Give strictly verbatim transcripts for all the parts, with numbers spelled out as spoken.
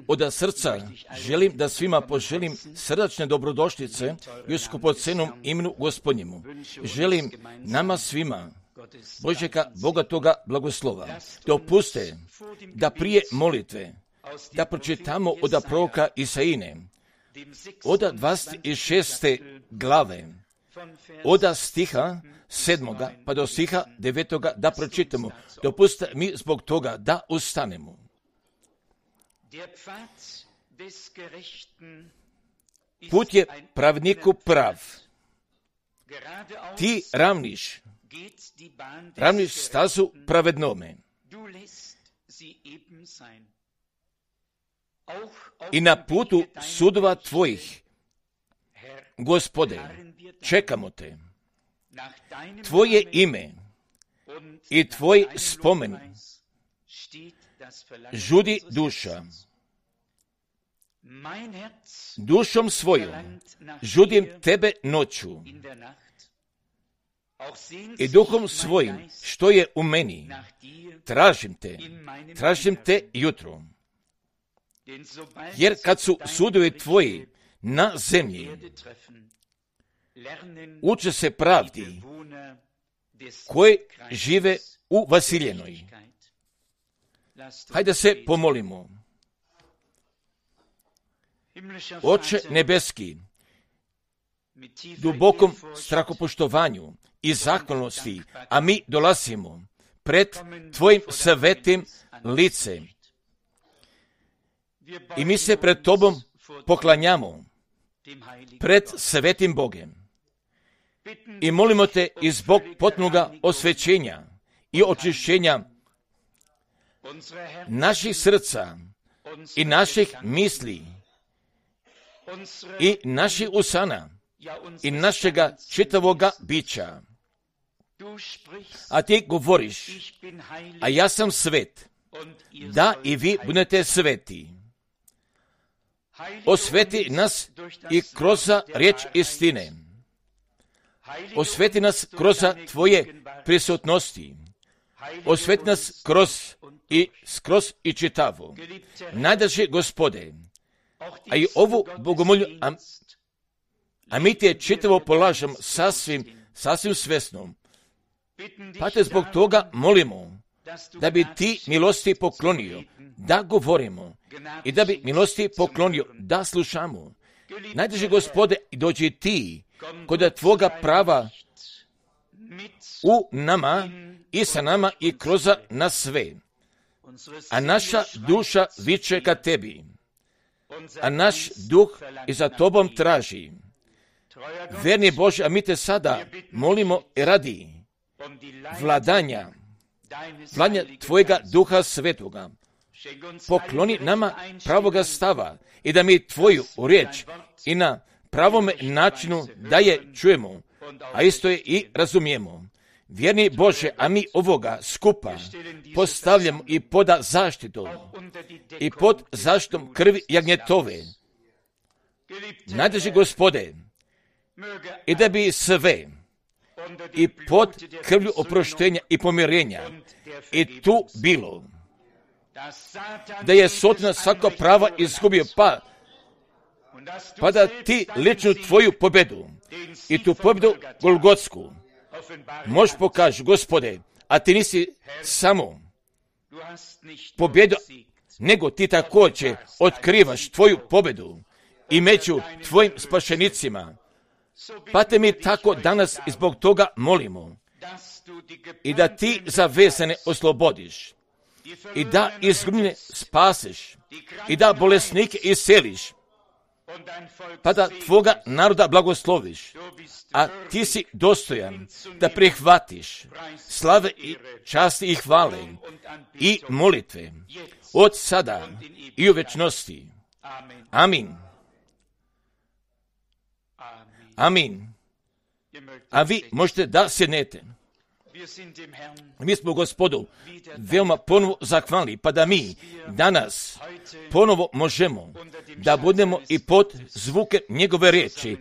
Od srca želim da svima poželim srdačne dobrodošlice i u skupocenom imenu Gospodnjemu. Želim nama svima Božjega bogatoga blagoslova. Dopuste da prije molitve da pročitamo od proroka Isaije, od dvadeset šeste glave, od stiha sedmoga pa do stiha devetoga da pročitamo. Dopustite mi zbog toga da ustanemo. Put je pravedniku prav. Ti ravniš, ravniš stazu pravednome. I na putu sudova tvojih, Gospode, čekamo te. Tvoje ime i tvoj spomen žudi duša. Dušom svojom žudim tebe noću i duhom svojim što je u meni. Tražim te, tražim te jutro. Jer kad su sudovi tvoji na zemlji, uče se pravdi koji žive u Vasiljenoj. Hajde se pomolimo. Oče nebeski, dubokom strahopoštovanju i zahvalnosti, a mi dolazimo pred tvojim svetim licem. I mi se pred tobom poklanjamo, pred svetim Bogem. I molimo te i zbog potpunoga osvećenja i očišćenja naših srca i naših misli i naših usana i našega čitavoga bića. A ti govoriš, a ja sam svet, da i vi budete sveti. Osveti nas i kroz riječ istine. Osveti nas kroz tvoje prisutnosti. Osveti nas kroz i skroz i čitavo. Najdraži Gospode, a i ovu bogomolju, a, a mi te čitavo polažem sasvim, sasvim svesno. Pa te zbog toga molimo da bi ti milosti poklonio da govorimo i da bi milosti poklonio da slušamo. Najdraži Gospode, dođi ti kod tvoga prava u nama i sa nama i kroz nas sve. A naša duša viče ka tebi, a naš duh i za tobom traži. Verni Bože, a mi te sada molimo radi vladanja, vladanja tvojega duha svetoga. Pokloni nama pravoga stava i da mi tvoju riječ i na pravome načinu da je čujemo, a isto je i razumijemo. Vjerni Bože, a mi ovoga skupa postavljamo i pod zaštitom i pod zaštitom krvi jagnjetove. Najdraži Gospode, i da bi sve i pod krvlju oproštenja i pomirenja i tu bilo, da je Satan svako prava izgubio, pa, pa da ti ličnu tvoju pobedu i tu pobedu Golgotsku možeš pokaži, Gospode, a ti nisi samo pobjedu, nego ti također otkrivaš tvoju pobedu i među tvojim spašenicima. Pa te mi tako danas i zbog toga molimo i da ti zavezane oslobodiš i da izgubljene spasiš i da bolesnike isceliš, pa da tvoga naroda blagosloviš, a ti si dostojan da prihvatiš slave i časti i hvale i molitve od sada i u večnosti. Amin. Amin. A vi možete da sjednete. Mi smo Gospodu veoma ponovo zahvalni, pa da mi danas ponovo možemo da budemo i pod zvuke njegove riječi,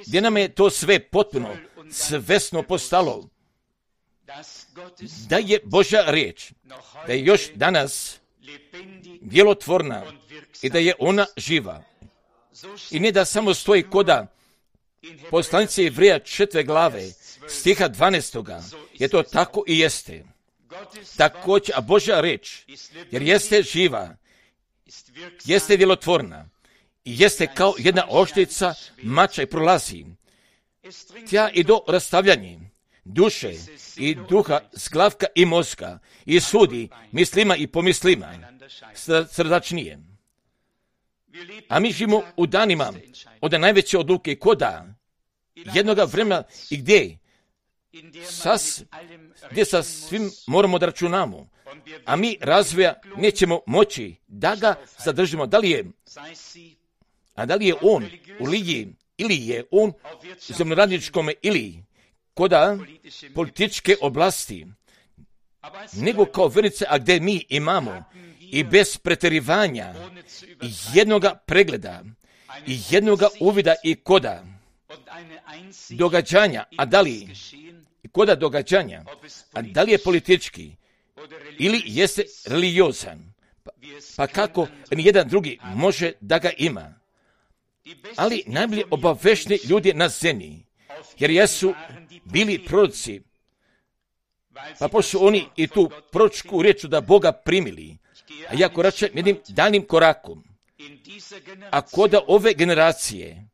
gdje nam je to sve potpuno svesno postalo, da je Božja riječ, da je još danas djelotvorna i da je ona živa. I ne da samo stoji koda poslanice Jevreja četvrte glave, stiha dvanaestoga, je to tako i jeste. Također, a Božja riječ, jer jeste živa, jeste djelotvorna i jeste kao jedna oštrica mača i prolazi tja i do rastavljanja duše i duha, zglavka i mozga i sudi mislima i pomislima srdačnije. A mi živimo u danima od najveće odluke koda jednoga vremena i gdje sas, gdje sa svim moramo da računamo, a mi razvoja nećemo moći da ga zadržimo. Da li je, a da li je on u religiji ili je on u zemljoradničkom ili koda političke oblasti, nego kao vernice, a gdje mi imamo i bez pretjerivanja jednoga pregleda i jednoga uvida i koda događanja, a da li koda događanja, a da li je politički ili jeste religiozan, pa, pa kako ni jedan drugi može da ga ima. Ali najbolje obavešni ljudi na zemlji, jer jesu bili proroci, pa pošto oni i tu proročku riječ da Boga primili, a ja koračam jednim daljnim korakom, a koda ove generacije,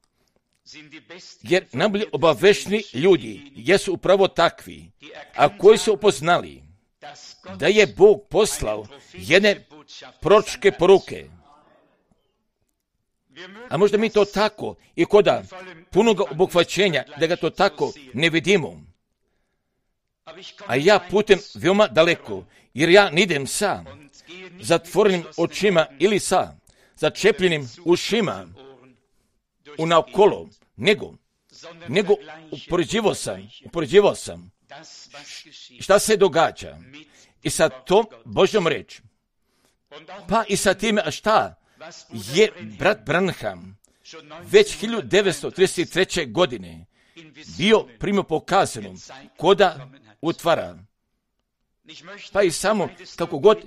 jer najbolje obavešni ljudi jesu upravo takvi, a koji su upoznali da je Bog poslao jedne proročke poruke. A možda mi to tako i koda punoga obuhvaćenja da ga to tako ne vidimo. A ja putem veoma daleko, jer ja nidem sa zatvorenim očima ili sa začepljenim ušima unaokolo, nego, nego upoređivao sam, upoređivao sam šta se događa i sa tom Božjom reč, pa i sa time šta je brat Branham već hiljadu devetsto trideset treće. godine bio primio pokazano koda utvara. Pa i samo kako god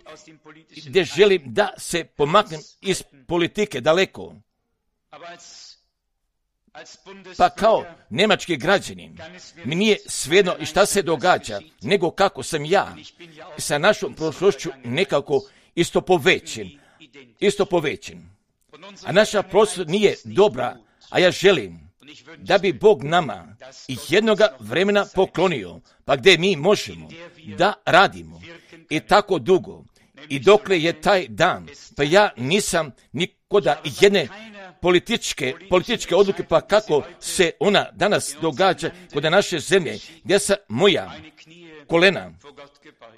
gdje želim da se pomaknem iz politike daleko, pa kao njemački građanin mi nije svejedno i šta se događa, nego kako sam ja sa našom prošlošću nekako isto povećen, isto povećen. A naša prošlost nije dobra, a ja želim da bi Bog nama i jednoga vremena poklonio, pa gdje mi možemo da radimo i tako dugo i dokle je taj dan, pa ja nisam nikoda jedne političke, političke odluke, pa kako se ona danas događa kod naše zemlje, gdje sam moja kolena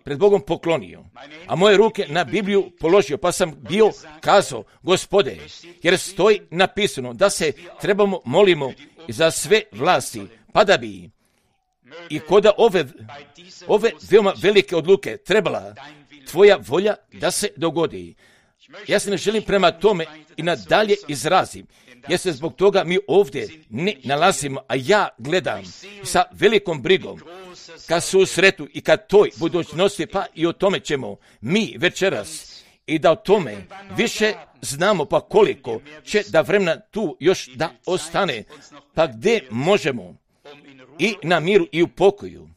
pred Bogom poklonio, a moje ruke na Bibliju položio, pa sam bio kazao, Gospode, jer stoji napisano da se trebamo molimo za sve vlasti, pa da bi i koda ove, ove veoma velike odluke trebala tvoja volja da se dogodi. Ja se ne želim prema tome i nadalje izrazim, jer se zbog toga mi ovdje ne nalazimo, a ja gledam sa velikom brigom ka susretu i ka toj budućnosti, pa i o tome ćemo mi večeras i da o tome više znamo, pa koliko će da vremena tu još da ostane, pa gdje možemo i na miru i u pokoju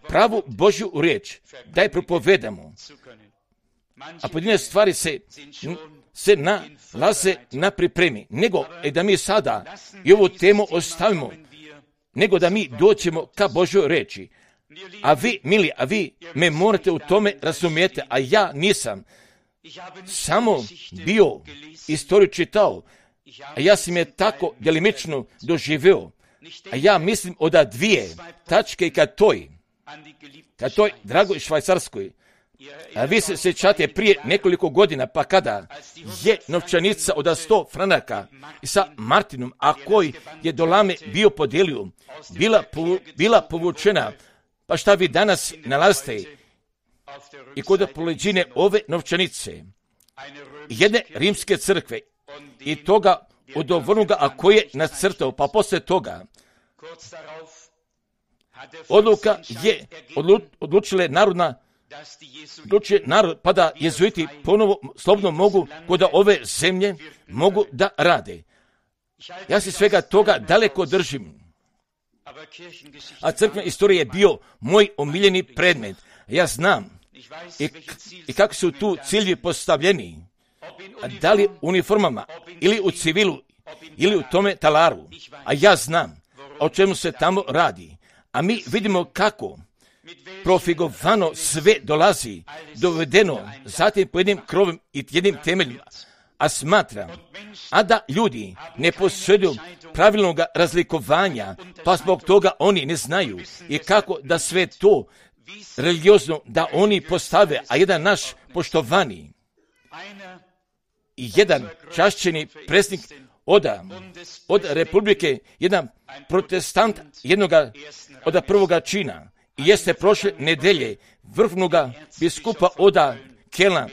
pravu Božju riječ da je propovedamo. A pojedine stvari se, se nalaze na pripremi, nego e da mi sada i ovu temu ostavimo, nego da mi doćemo ka Božoj reči. A vi, mili, a vi me morate u tome razumijete, a ja nisam samo bio istoriju čitao, a ja sam je tako djelimično doživio, a ja mislim od dvije tačke ka toj, ka toj dragoj Švajcarskoj. A vi se sjećate prije nekoliko godina, pa kada je novčanica od sto franaka sa Martinom, a koji je do lame bio podijelio, bila, bila povučena, pa šta vi danas nalazite i kod poleđine ove novčanice, jedne rimske crkve i toga od ovrnuga, a koji je nacrtao, pa posle toga odluka je odlu, odlučile narodna odlučuje narod, pa da jezuiti ponovo slobodno mogu kod ove zemlje mogu da rade. Ja se svega toga daleko držim. A crkvena istorija je bio moj omiljeni predmet. Ja znam i, i kako su tu ciljevi postavljeni. Da li u uniformama, ili u civilu, ili u tome talaru. A ja znam o čemu se tamo radi. A mi vidimo kako profigovano sve dolazi, dovedeno zatim po jednim krovim i jednim temeljima. A smatram, a da ljudi ne posjeduju pravilnog razlikovanja, pa zbog toga oni ne znaju i kako da sve to religiozno da oni postave, a jedan naš poštovani i jedan čašćeni predsjednik od, od Republike, jedan protestant jednoga od prvoga čina, i jeste prošle nedelje vrhovnoga biskupa od Kelna,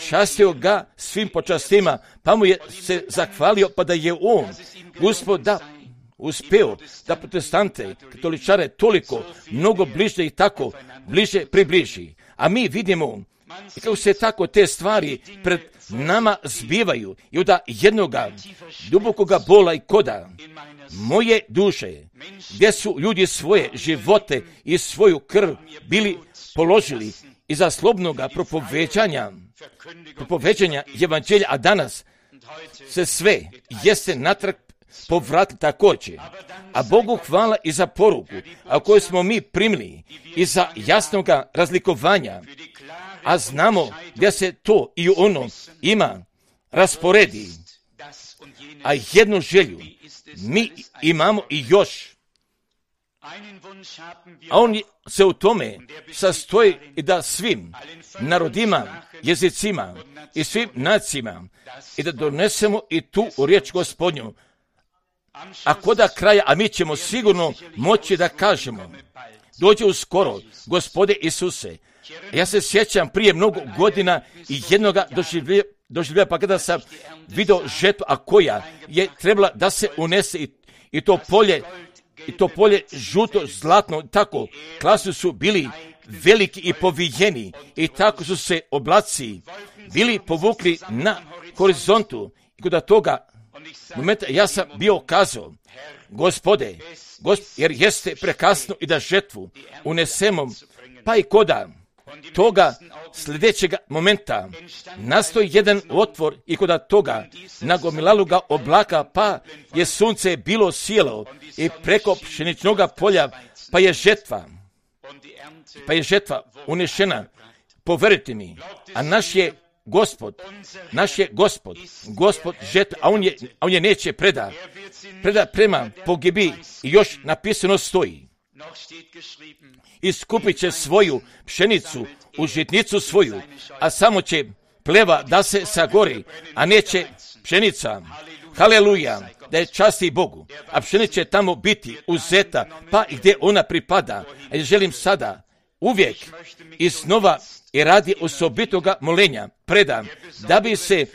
častio ga svim počastima, pa mu je se zahvalio, pa da je on Gospod da uspeo da protestante, katoličare toliko mnogo bliže i tako bliže približi. A mi vidimo kako se tako te stvari pred nama zbivaju i od jednoga dubokoga bola i koda moje duše, gdje su ljudi svoje živote i svoju krv bili položili iza slobodnoga propoveđanja, propoveđanja evanđelja, a danas se sve jeste natrag povratili također. A Bogu hvala i za poruku, a koju smo mi primili i za jasnoga razlikovanja, a znamo da se to i ono ima rasporedi. A jednu želju mi imamo i još. A on se u tome sastoji i da svim narodima, jezicima i svim nacijama i da donesemo i tu riječ Gospodnju. A koda kraja, a mi ćemo sigurno moći da kažemo, dođe uskoro, Gospode Isuse. Ja se sjećam prije mnogo godina i jednoga doživlja, doživlja pa kada sam vidio žetvu, a koja je trebala da se unese i, i to polje, i to polje žuto, zlatno, tako, klasu su bili veliki i povijeni i tako su se oblaci bili povukli na horizontu i kod toga momenta ja sam bio kazao, Gospode, gosp, jer jeste prekasno i da žetvu unesemo, pa i koda toga sljedećeg momenta nastoji jedan otvor i kod toga nagomilalo ga oblaka, pa je sunce bilo sjelo i preko pšeničnog polja, pa je žetva, pa je žetva unešena. Poverite mi, a naš je Gospod, naš je Gospod, Gospod žetva, a on je, a on je neće preda, preda prema pogibi i još napisano stoji. Iskupit će svoju pšenicu u žitnicu svoju, a samo će pleva da se sagori, a neće pšenica. Haleluja, da je časti Bogu, a pšenica će tamo biti uzeta, pa i gdje ona pripada. A ja želim sada uvijek iznova i radi osobitoga molenja predam, da bi se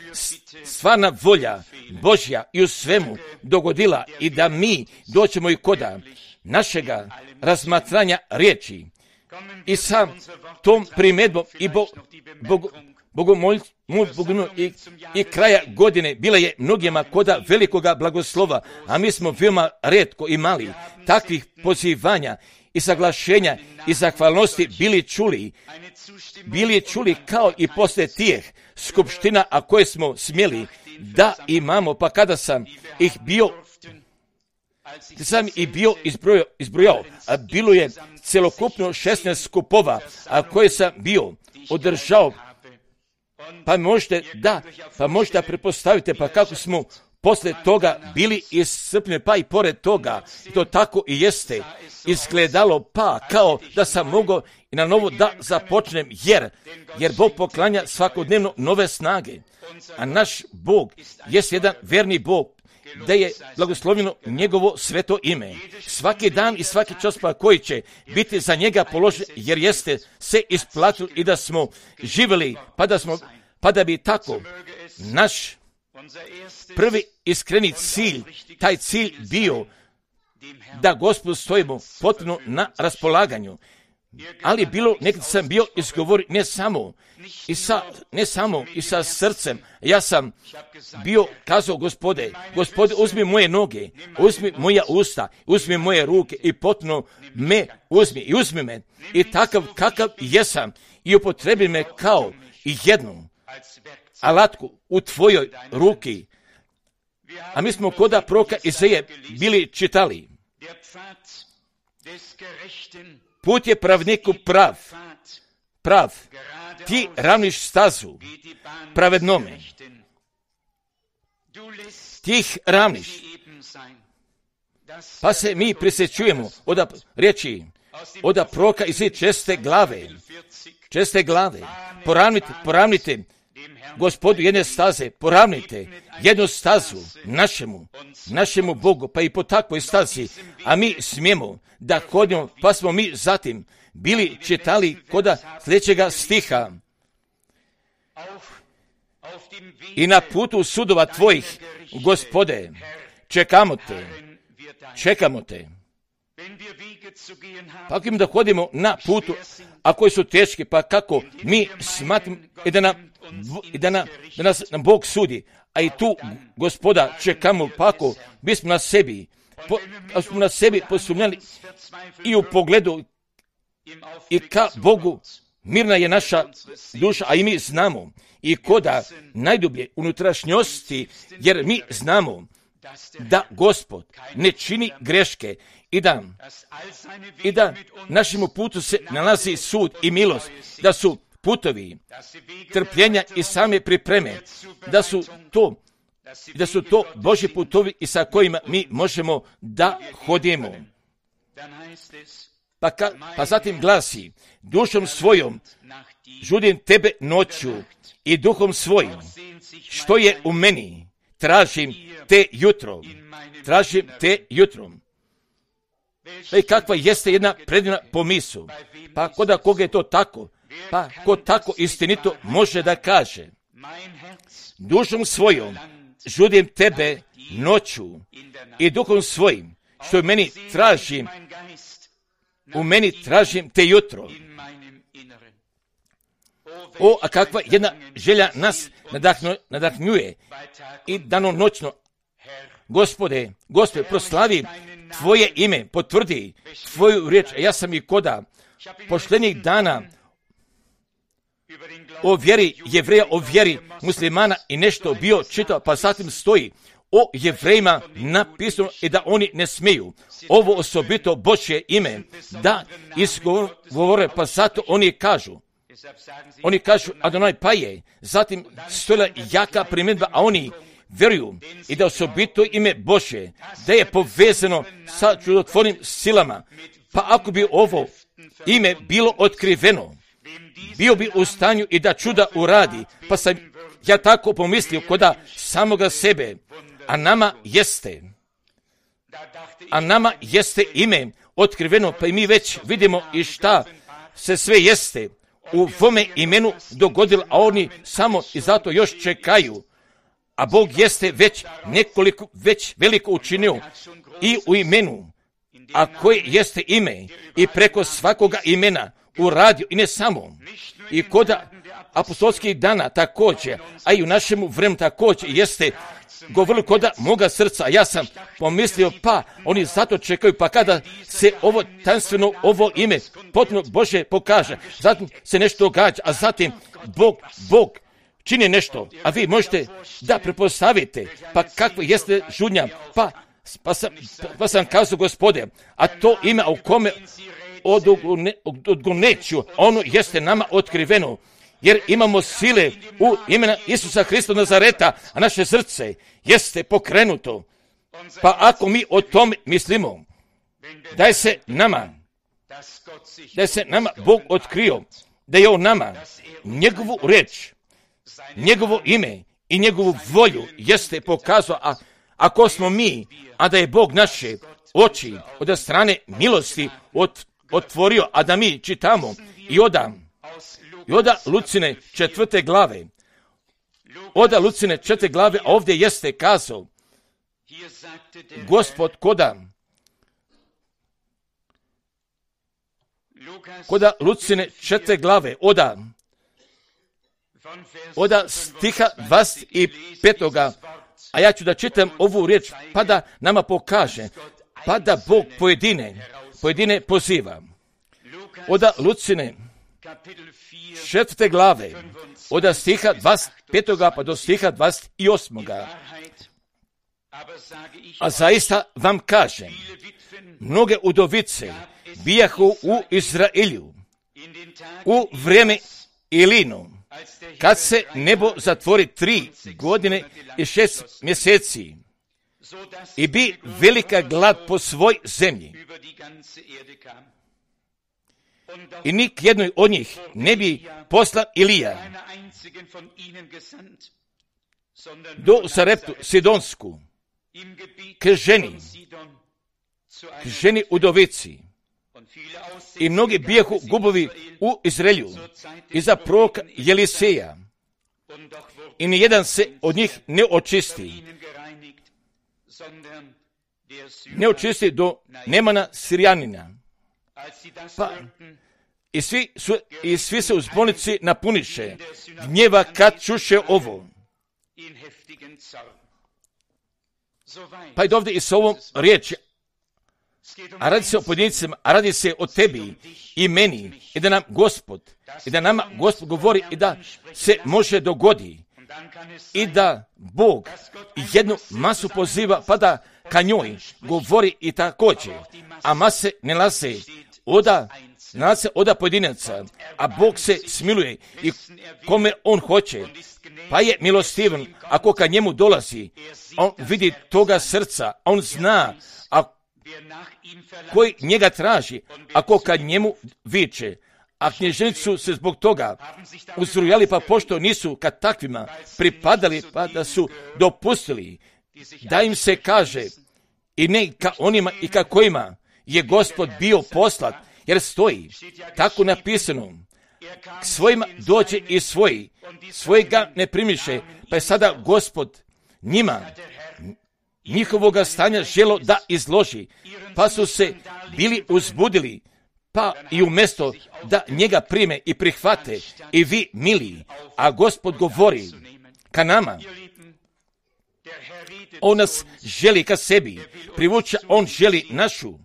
stvarna volja Božja i u svemu dogodila i da mi doćemo i koda našega razmatranja riječi i sa tom primjedbom i bo, bog, bogomolj, bogomolj, i, i kraja godine bila je mnogima koda velikoga blagoslova, a mi smo veoma rijetko imali takvih pozivanja i saglašenja i zahvalnosti bili čuli, bili čuli kao i poslije tijeh skupština, a koje smo smjeli da imamo, pa kada sam ih bio sam i bio izbrojao, izbrojao, a bilo je celokupno šesnaest skupova, a koje sam bio održao, pa možete da, pa možete pretpostavite, pa kako smo posle toga bili iscrpljeni, pa i pored toga, to tako i jeste izgledalo, pa kao da sam mogao i na novo da započnem, jer, jer Bog poklanja svakodnevno nove snage, a naš Bog jest jedan verni Bog, da je blagoslovljeno njegovo sveto ime. Svaki dan i svaki čas pa koji će biti za njega položen, jer jeste se isplatili i da smo živjeli, pa da, smo, pa da bi tako naš prvi iskreni cilj, taj cilj bio da Gospodu stojimo potpuno na raspolaganju. Ali bilo, nekad sam bio izgovori ne samo i sa, ne samo i sa srcem. Ja sam bio kazao, Gospode, Gospode, uzmi moje noge, uzmi moja usta, uzmi moje ruke i potpuno me uzmi i uzmi me. I takav kakav jesam i upotrebi me kao i jednu alatku u tvojoj ruki. A mi smo koda proroka Izaije bili čitali. Put je pravniku prav, prav, ti ravniš stazu pravednome, ti ih ravniš. Pa se mi prisjećujemo od riječi, od proroka Izaije česte glave, česte glave, poravnite, poravnite Gospodu jedne staze, poravnite jednu stazu našemu, našemu Bogu, pa i po takvoj stazi, a mi smijemo da hodimo, pa smo mi zatim bili čitali koda sljedećega stiha. I na putu sudova tvojih, Gospode, čekamo te, čekamo te. Pa ako im da hodimo na putu, a koji su teški, pa kako mi smatimo i da, na, i da, na, da nas na Bog sudi, a i tu, Gospoda, čekamo, pa ako bismo na sebi, po, ako smo na sebi posumnjali i u pogledu i ka Bogu, mirna je naša duša, a i mi znamo, i koda najdublje unutrašnjosti, jer mi znamo da Gospod ne čini greške i da, i da našemu putu se nalazi sud i milost, da su putovi trpljenja i same pripreme, da su to, da su to Božji putovi i sa kojima mi možemo da hodimo. Pa, ka, pa zatim glasi, dušom svojom žudim tebe noću i duhom svojim, što je u meni, tražim te jutro, tražim te jutrom. I kakva jeste jedna predivna pomisu. Pa koda koga je to tako, pa ko tako istinito može da kaže, dušom svojom žudim tebe noću i duhom svojim, što u meni tražim, u meni tražim te jutro. O, a kakva jedna želja nas nadahnu, nadahnjuje i danonoćno. Gospode, Gospode, proslavi tvoje ime, potvrdi tvoju riječ. Ja sam i koda poštenih dana o vjeri Jevreja, o vjeri muslimana i nešto bio čitao, pa zatim stoji o Jevrejima napisano i da oni ne smiju ovo osobito Božje ime da izgovore, pa zato oni kažu, oni kažu Adonai pa je, zatim stojila jaka primjedba, a oni vjeruju i da osobito ime Božje, da je povezano sa čudotvornim silama, pa ako bi ovo ime bilo otkriveno, bio bi u stanju i da čuda uradi, pa sam ja tako pomislio koda samoga sebe, a nama jeste, a nama jeste ime otkriveno, pa i mi već vidimo i šta se sve jeste u vome imenu dogodilo, a oni samo i zato još čekaju. A Bog jeste već nekoliko, već veliko učinio i u imenu, a koje jeste ime i preko svakoga imena uradio i ne samo. I koda apostolskih dana također, a i u našemu vremenu također jeste govorili koda moga srca. Ja sam pomislio, pa oni zato čekaju, pa kada se ovo tanstveno, ovo ime potpuno Bože pokaže, zatim se nešto događa, a zatim Bog, Bog čini nešto, a vi možete da prepostavite, pa kakva jeste žudnja, pa, pa, sam, pa sam kazao, Gospode, a to ime u kome odgoneću, ono jeste nama otkriveno, jer imamo sile u imena Isusa Hrista Nazareta, a naše srce jeste pokrenuto. Pa ako mi o tome mislimo, da je se nama, da je se nama Bog otkrio, da je on nama njegovu reč, njegovo ime i njegovu volju jeste pokazao, a ako smo mi, a da je Bog naše oči od strane milosti ot, otvorio, a da mi čitamo i oda, i oda Lucine četvrte glave, oda Lucine četvrte glave, a ovdje jeste kazao, Gospod koda koda Lucine četiri glave, oda, oda stiha dvadeset petoga, a ja ću da čitam ovu riječ, pa da nama pokaže, pa da Bog pojedine, pojedine poziva. Oda Lucine četvrte glave, oda stiha dvadeset petoga pa do stiha dvadeset osmoga. A zaista vam kažem, mnoge udovice bijahu u Izraelju u vrijeme Ilinu, kad se nebo zatvori tri godine i šest mjeseci i bi velika glad po svoj zemlji. I nik jednoj od njih ne bi poslan Ilija do Sareptu Sidonsku k ženi, k ženi udovici. I mnogi bijahu gubovi u Izraelju iza proroka Jeliseja. I nijedan se od njih ne očisti. Ne očisti do Nemana Sirijanina. Pa, i svi, su, i svi se u zbornici napuniše gnjeva kad čuše ovo. Pa i ovdje i s ovom riječi, a radi se o pojedincima, a radi se o tebi i meni, i da nam Gospod, i da nama Gospod govori i da se može dogodi, i da Bog jednu masu poziva, pa da ka njoj govori i također, a mase ne nalaze oda, nalaze oda pojedinaca, a Bog se smiluje i kome on hoće, pa je milostivan, ako ka njemu dolazi, on vidi toga srca, on zna, a koji njega traži, ako ka njemu viče, a knježnici su se zbog toga uzrujali, pa pošto nisu ka takvima pripadali, pa da su dopustili da im se kaže i ne ka onima i ka kojima je Gospod bio poslat, jer stoji tako napisano, k svojima dođe i svoji, svoji ga ne primiše, pa je sada Gospod njima njihovoga stanja želo da izloži, pa su se bili uzbudili, pa i umjesto da njega prime i prihvate, i vi mili, a Gospod govori ka nama, on nas želi ka sebi, privuče, on želi našu,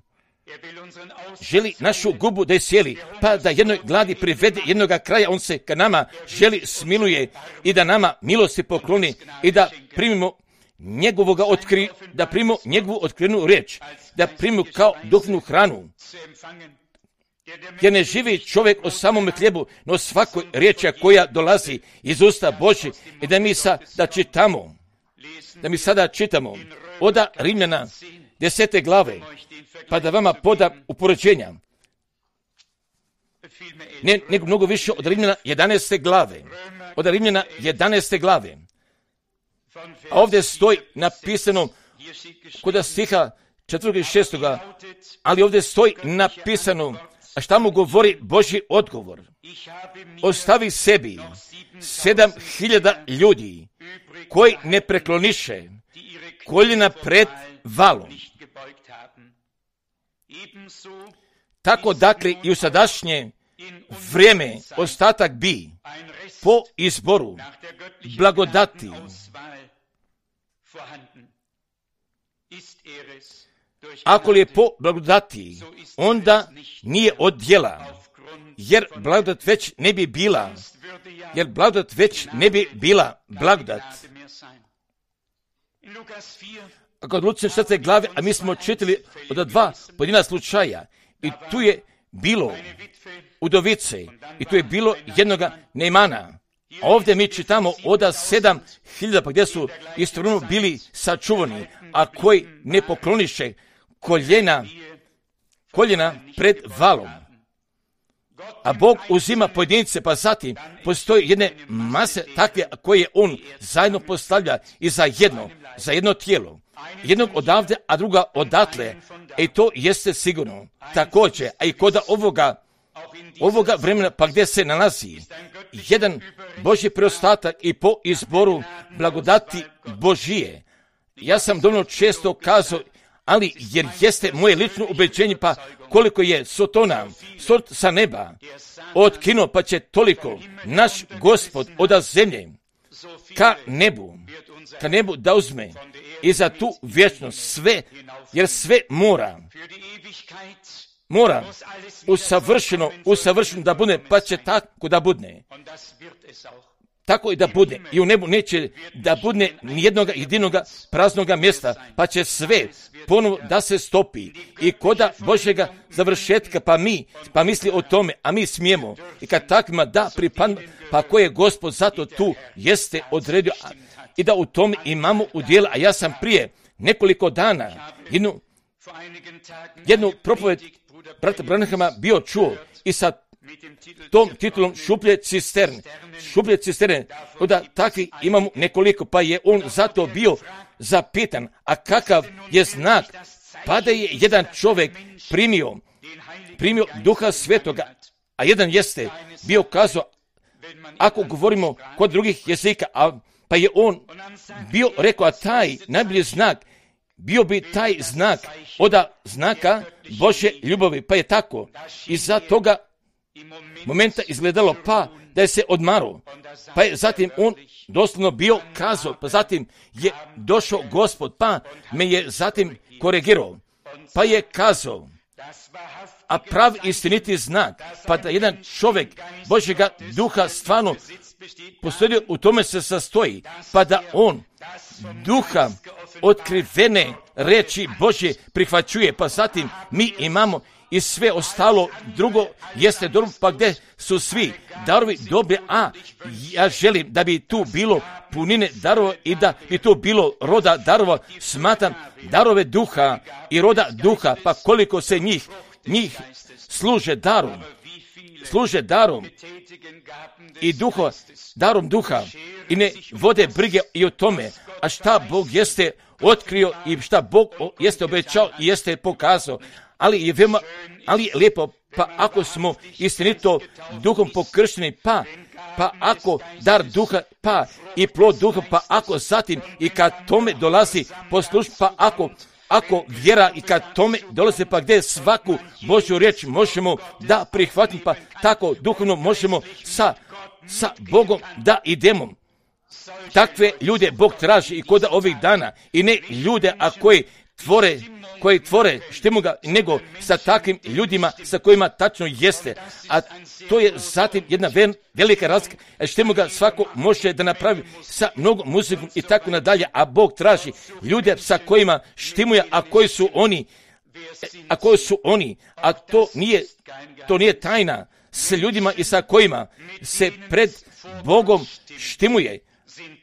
želi našu gubu da je sjeli, pa da jednoj gladi privede jednoga kraja, on se ka nama želi smiluje i da nama milosti pokloni i da primimo njegovoga otkri, da primimo njegovu otkrivenu riječ, da primimo kao duhovnu hranu. Jer ne živi čovjek o samom hljebu, no svakoj riječi koja dolazi iz usta Božji, i da mi sada da čitamo, da mi sada čitamo oda Rimljana desete glave, pa da vama podam upoređenja. Ne, nego mnogo više od Rimljana jedanaeste glave, od Rimljana jedanaeste glave. A ovdje stoji napisano kod stiha četvrtog i šestoga, ali ovdje stoji napisano, a šta mu govori Božji odgovor? Ostavi sebi sedam hiljada ljudi koji ne prekloniše koljena pred valom. Tako dakle i u sadašnje vrijeme ostatak bi po izboru blagodati ako li je po blagodati, onda nije od djela, jer blagodat već ne bi bila, jer blagodat već ne bi bila blagodat. Kod Lucine četvrte glave, a mi smo čitali od dva pojedina slučaja, i tu je bilo udovice, i tu je bilo jednoga Neimana. Ovdje mi čitamo oda sedam hiljada, pa gdje su istovremeno bili sačuvani, a koji ne pokloniše koljena, koljena pred valom. A Bog uzima pojedince, pa zatim postoji jedne mase takve koje on zajedno postavlja i za jedno, za jedno tijelo. Jednog odavde, a druga odatle. I to jeste sigurno. Također, a i kod ovoga, ovoga vremena, pa gdje se nalazi jedan Božji preostatak i po izboru blagodati Božije. Ja sam dovoljno često kazao, ali jer jeste moje lično ubeđenje, pa koliko je Sotona sort sa neba otkinuo, pa će toliko naš Gospod od zemlje ka nebu, ka nebu da uzme i za tu vječnost sve, jer sve mora, mora usavršeno, usavršeno da bude, pa će tako da bude. Tako i da bude. I u nebu neće da bude nijednog jedinoga praznoga mjesta, pa će sve ponovo da se stopi. I koda Božjega završetka, pa mi, pa misli o tome, a mi smijemo. I kad takvima da pripadne, pa ko je Gospod zato tu jeste odredio, a, i da u tome imamo udjela. A ja sam prije nekoliko dana jednu, jednu propoved brata Branhama bio čuo i sa tom titulom šuplje cisterne. Šuplje cisterne, da takvi imamo nekoliko, pa je on zato bio zapitan, a kakav je znak, pa da je jedan čovjek primio, primio Duha Svetoga, a jedan jeste bio kazao, ako govorimo kod drugih jezika, a, pa je on bio rekao, a taj najbolji znak, bio bi taj znak od znaka Božje ljubavi, pa je tako. I za toga momenta izgledalo pa da je se odmaro, pa je zatim on doslovno bio kazao, pa zatim je došao Gospod, pa me je zatim korigirao, pa je kazao, a prav istiniti znak, pa da jedan čovjek Božjega duha stvarno postoji, u tome se sastoji, pa da on duha otkrivene reči Božje prihvaćuje, pa zatim mi imamo i sve ostalo drugo jeste dobro, pa gdje su svi darovi dobre, a ja želim da bi tu bilo punine darova i da bi tu bilo roda darova, smatram darove duha i roda duha, pa koliko se njih, njih služe darom, služe darom i duha, darom duha i ne vode brige i o tome, a šta Bog jeste otkrio i šta Bog jeste obećao i jeste pokazao. Ali je veoma, ali je lijepo, pa ako smo istinito duhom pokršteni, pa, pa ako dar duha, pa i plod duha, pa ako zatim i kad tome dolazi poslušnost, pa ako, ako vjera i kad tome dolazi, pa gdje svaku Božju riječ možemo da prihvatimo, pa tako duhovno možemo sa, sa Bogom da idemo. Takve ljude Bog traži i kod ovih dana i ne ljude, a koji tvore, koji tvore štemu ga, nego sa takvim ljudima sa kojima tačno jeste. A to je zatim jedna vel, velika razlika. Štemu ga svako može da napravi sa mnogo muzikom i tako nadalje, a Bog traži ljude sa kojima štimuje, a koji su oni, a koji su oni, a to nije, to nije tajna s ljudima i sa kojima se pred Bogom štimuje.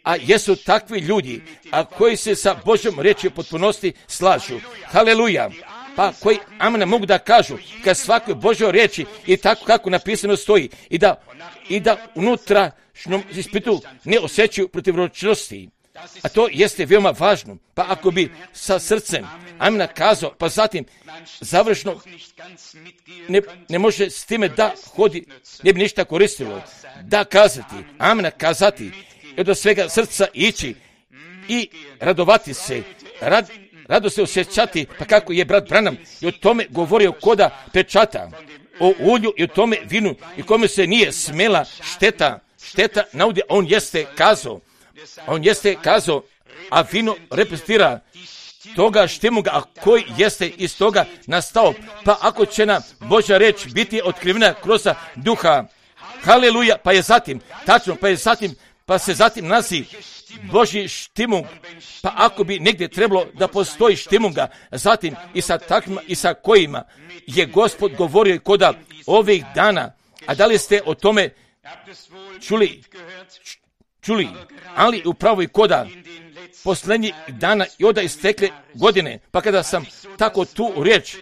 A jesu takvi ljudi, a koji se sa Božjom riječi potpunosti slažu. Haleluja. Pa koji amen mogu da kažu kad svakoj Božjoj riječi i tako kako napisano stoji i da, i da unutrašnjom ispitu ne osjećaju protivročnosti. A to jeste veoma važno. Pa ako bi sa srcem amen kazao, pa zatim završno ne, ne može s time da hodi, ne bi ništa koristilo. Da kazati, amen kazati, i do svega srca ići i radovati se, rad, rado se osjećati, pa kako je brat Branham i o tome govorio koda pečata, o ulju i o tome vinu i kome se nije smela šteta, šteta naudje, on jeste kazao, on jeste kazao, a vino reprezentira toga štimuga, a koji jeste iz toga nastao, pa ako će nam Božja reč biti otkrivena kroz duha, haleluja, pa je zatim, tačno, pa je zatim, pa se zatim nasi Božji štimung, pa ako bi negdje trebalo da postoji štimunga, zatim i sa takvima i sa kojima je Gospod govorio i koda ovih dana, a da li ste o tome čuli, čuli, ali upravo i koda posljednjih dana i onda istekle godine, pa kada sam tako tu riječ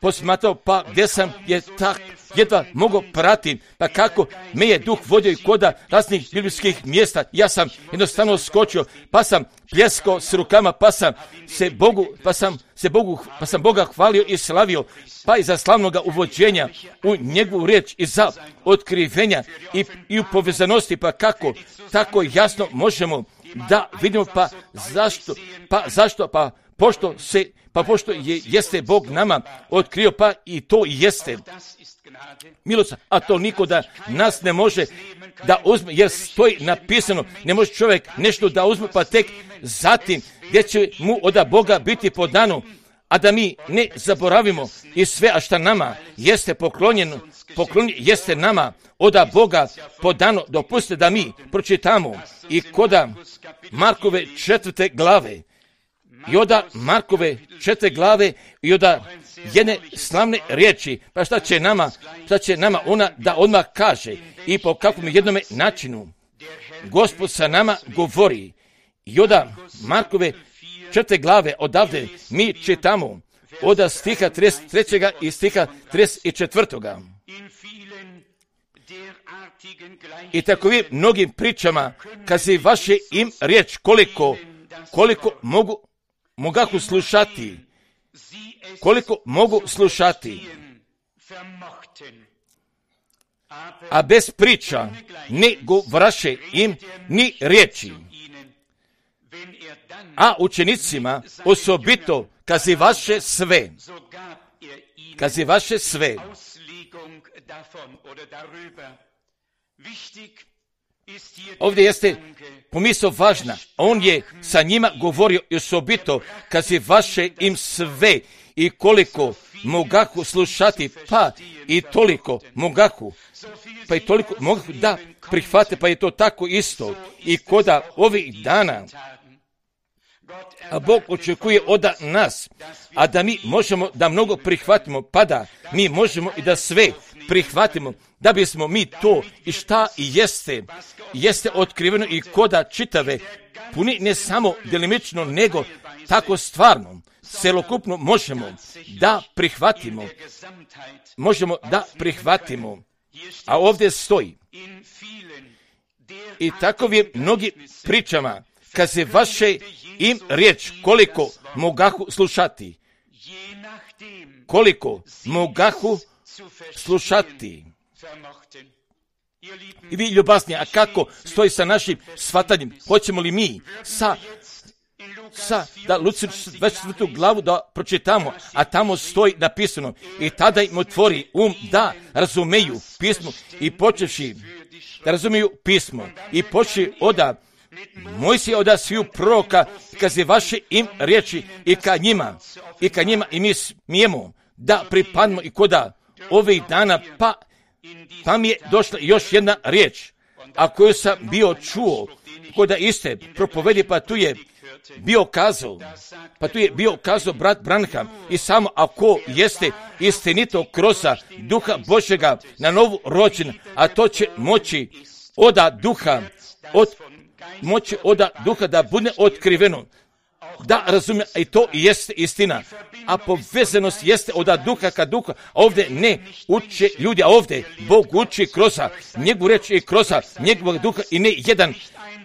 posmatrao, pa gdje sam je tak jedva mogao pratiti, pa kako me je duh vodio i koda raznih biblijskih mjesta, ja sam jednostavno skočio, pa sam pljeskao s rukama, pa sam se Bogu, pa sam se Bogu, pa sam Boga hvalio i slavio, pa i za slavnoga uvođenja u njegovu riječ i za otkrivenja i, i u povezanosti, pa kako tako jasno možemo da vidimo, pa zašto, pa zašto, pa pošto se, pa pošto je, jeste Bog nama otkrio, pa i to jeste milost, a to niko da nas ne može da uzme, jer stoji napisano, ne može čovjek nešto da uzme, pa tek zatim gdje će mu od Boga biti podano, a da mi ne zaboravimo i sve, a šta nama jeste poklonjeno, poklonjeno jeste nama od Boga podano. Dopustite da mi pročitamo i koda Markove četvrte glave, i oda Markove četvrte glave i oda jedne slavne riječi, pa šta će nama, šta će nama ona da odmah kaže i po kakvom jednome načinu Gospod sa nama govori. I oda Markove četvrte glave odavde mi čitamo od stiha trideset trećeg i stiha trideset četvrtog I takovim mnogim pričama, kad se vaše im riječ koliko, koliko mogu, mogahu slušati, koliko mogu slušati, a bez priča ne govraše im ni riječi. A učenicima osobito kazi vaše sve, kazi vaše sve. Ovdje jeste pomisao važna. On je sa njima govorio i osobito kazi vaše im sve i koliko mogahu slušati, pa i toliko mogahu, pa i toliko mogahu da prihvate, pa je to tako isto. I koda ovih dana a Bog očekuje od nas, a da mi možemo da mnogo prihvatimo, pa da mi možemo i da sve prihvatimo, da bismo mi to i šta i jeste, jeste otkriveno i koda čitave, puni ne samo delimično, nego tako stvarno, celokupno možemo da prihvatimo, možemo da prihvatimo, a ovdje stoji. I takovim mnogi pričama, kad se vaše im riječ koliko mogahu slušati, koliko mogahu slušati. I vi ljubazni, a kako stoji sa našim shvatanjem? Hoćemo li mi sa, sa da Luci dvadeset četvrtu glavu da pročitamo, a tamo stoji napisano i tada im otvori um da razumeju pismo i počevši da razumiju pismo i počeši oda Mojsije oda sviju proroka, kad se vaše im riječi i ka njima, i ka njima i mi smijemo da pripadnemo i koda ovih dana, pa, pa mi je došla još jedna riječ, a koju sam bio čuo, koda iste propovedi, pa tu je bio kazao, pa tu je bio kazao brat Branham i samo ako jeste istinito kroza duha Božjega na novu rođen, a to će moći oda duha, od moći oda duha da bude otkriveno, da razumije, i to jeste istina, a povezanost jeste oda duha ka duha, a ovdje ne uče ljudi, a ovdje Bog uči kroza njegovu reč i kroza njegovog duha i ne jedan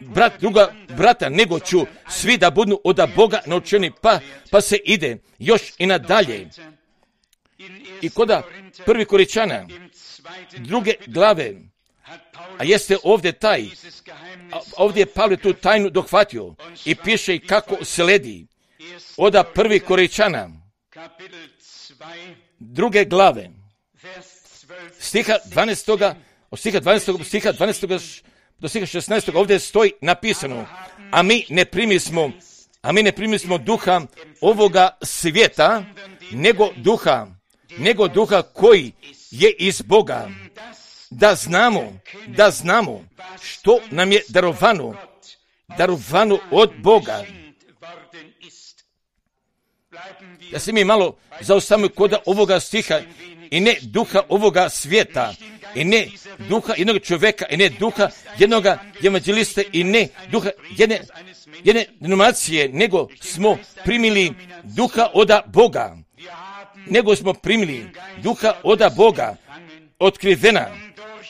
brat druga brata, nego ću svi da budu oda Boga naučeni, pa, pa se ide još i nadalje. I koda prvi Korinčana druge glave, a jeste ovdje taj, ovdje je Pavle tu tajnu dohvatio i piše i kako sledi. Oda prvi Korinčana, druge glave, stiha dvanaestog, od stiha dvanaestog, stiha dvanaestog do stiha šesnaestog, ovdje stoji napisano, a mi ne primismo, a mi ne primismo duha ovoga svijeta, nego duha, nego duha koji je iz Boga, da znamo, da znamo što nam je darovano, darovano od Boga. Da se mi malo zaustavimo kod ovoga stiha i ne duha ovoga svijeta, i ne duha jednog čovjeka, i ne duha jednog evanđeliste, i ne duha jedne, jedne denominacije, nego smo primili duha oda Boga, nego smo primili duha oda Boga, otkrivena,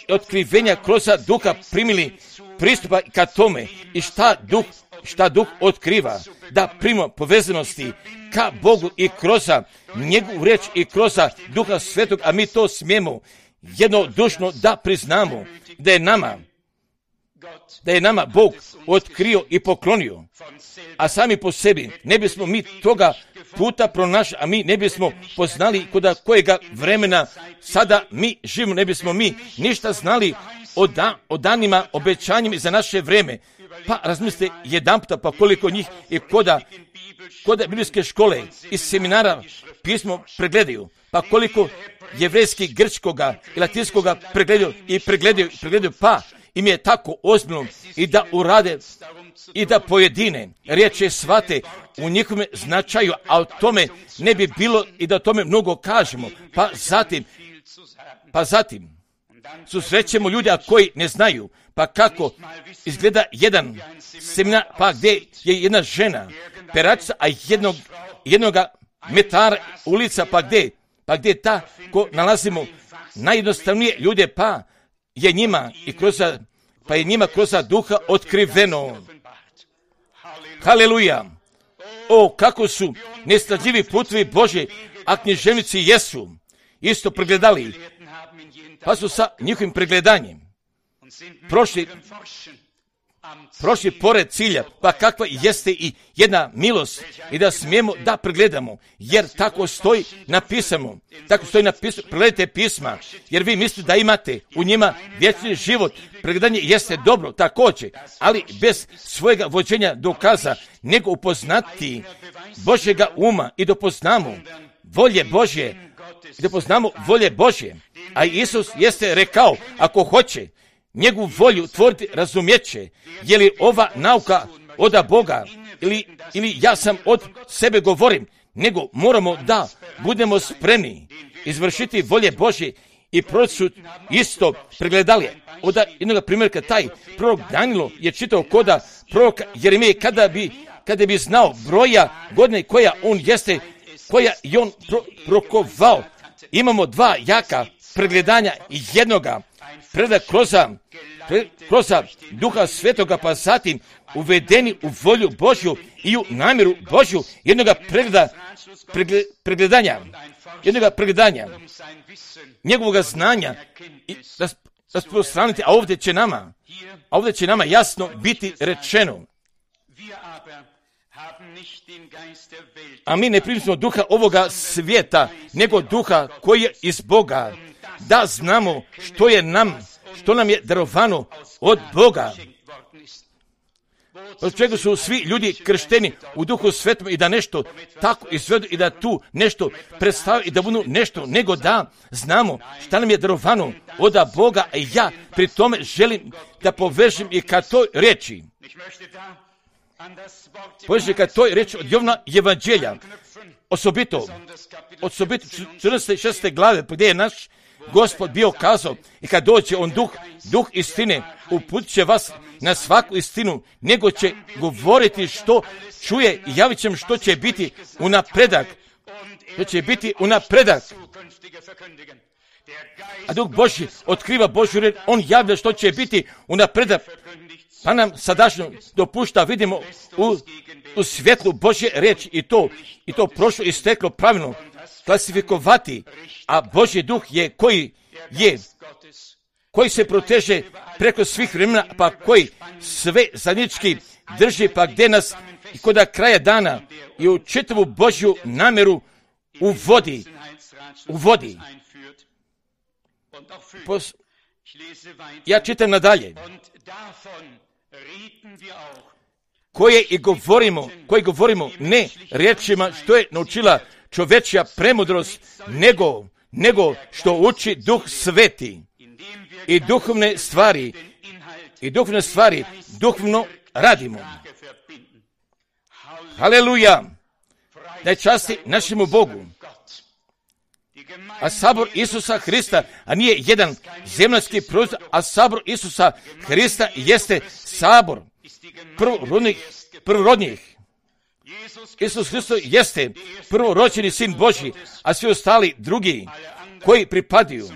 otkrivenja kroz duha primili pristupa ka tome i šta duh, šta duh otkriva, da primimo povezanosti ka Bogu i kroz njegovu riječ i kroz duha svetog, a mi to smijemo jednodušno da priznamo da je nama da je nama Bog otkrio i poklonio, a sami po sebi ne bismo mi toga puta pronašli, a mi ne bismo poznali kod kojega vremena sada mi živimo, ne bismo mi ništa znali o, da, o danima, obećanjima za naše vreme. Pa razmislite jedanputa, pa koliko njih i koda, koda biblijske škole i seminara pismo pregledaju, pa koliko jevrejski, grčkoga i latinskoga pregledaju i pregledaju, pregledaju, pa im je tako ozbiljno i da urade i da pojedine riječi shvate u njihovom značaju, a o tome ne bi bilo i da o tome mnogo kažemo. Pa zatim, pa zatim susrećemo ljude koji ne znaju, pa kako izgleda jedan seminar, pa gdje je jedna žena peračica, a jednog, jednoga metara ulica, pa gdje, pa gdje ta ko nalazimo najjednostavnije ljude, pa je njima i kroz, pa je njima kroz duha otkriveno. Haleluja! O, kako su nestradljivi putovi Božji, a književnici jesu isto pregledali, pa su sa njihovim pregledanjem prošli, prošli pored cilja, pa kakva jeste i jedna milost i da smijemo da pregledamo, jer tako stoji napisano, tako stoji napisano, pregledajte pisma, jer vi mislite da imate u njima vječni život. Pregledanje jeste dobro također, ali bez svojega vođenja dokaza, nego upoznati Božjega uma i da poznamo volje Božje, i da poznamo volje Božje. A Isus jeste rekao, ako hoće njegovu volju tvoriti, razumjeće, je li ova nauka od Boga ili, ili ja sam od sebe govorim, nego moramo da budemo spremni izvršiti volje Božje i proroci su isto pregledali. Od jednog primjerka taj prorok Danilo je čitao koda proroka Jeremije kada bi, kada bi znao broja godine koja on jeste, koja je on pro, prokovao. Imamo dva jaka pregledanja i jednoga preda kroz, kroz Duha Svetoga, pa zatim uvedeni u volju Božju i u namjeru Božju, jednoga pregleda, pregle, pregledanja, jednoga pregledanja, njegovog znanja i rasprostraniti, a ovdje će nama, a ovdje će nama jasno biti rečeno. A mi ne primimo duha ovoga svijeta, nego duha koji je iz Boga, da znamo što je nam, što nam je darovano od Boga. Od čega su svi ljudi kršteni u Duhu Svetom i da nešto tako izvedu i da tu nešto predstave i da budu nešto, nego da znamo šta nam je darovano od Boga. I ja pri tome želim da povežem i ka toj reči. Povežem ka toj reči od Jovana Evanđelja, osobito, osobito četrnaeste i šesnaeste glave, gdje je naš Gospod bio kazao, i kad dođe on duh, duh istine, uputit će vas na svaku istinu, nego će govoriti što čuje i javit će što će biti u napredak. Što će biti u napredak. A Duh Božji otkriva Božju riječ, on javlja što će biti u napredak. Pa nam sadašnjo dopušta, vidimo u, u svjetlu Božje riječi i to, i to prošlo i steklo pravilno klasifikovati, a Božji duh je koji je, koji se proteže preko svih vremena, pa koji sve zajednički drži, pa gdje nas i kod kraja dana i u čitavu Božju namjeru uvodi, uvodi. Pos, ja čitam nadalje. Koje i govorimo, koje govorimo ne riječima što je naučila čovečja premudrost, nego, nego što uči Duh Sveti i duhovne stvari, i duhovne stvari duhovno radimo. Haleluja! Daj časti našemu Bogu. A sabor Isusa Hrista, a nije jedan zemaljski prostor, a sabor Isusa Hrista jeste sabor prvorodnih, prvorodnih. Isus Hristos jeste prvorođeni sin Božji, a svi ostali drugi koji pripadaju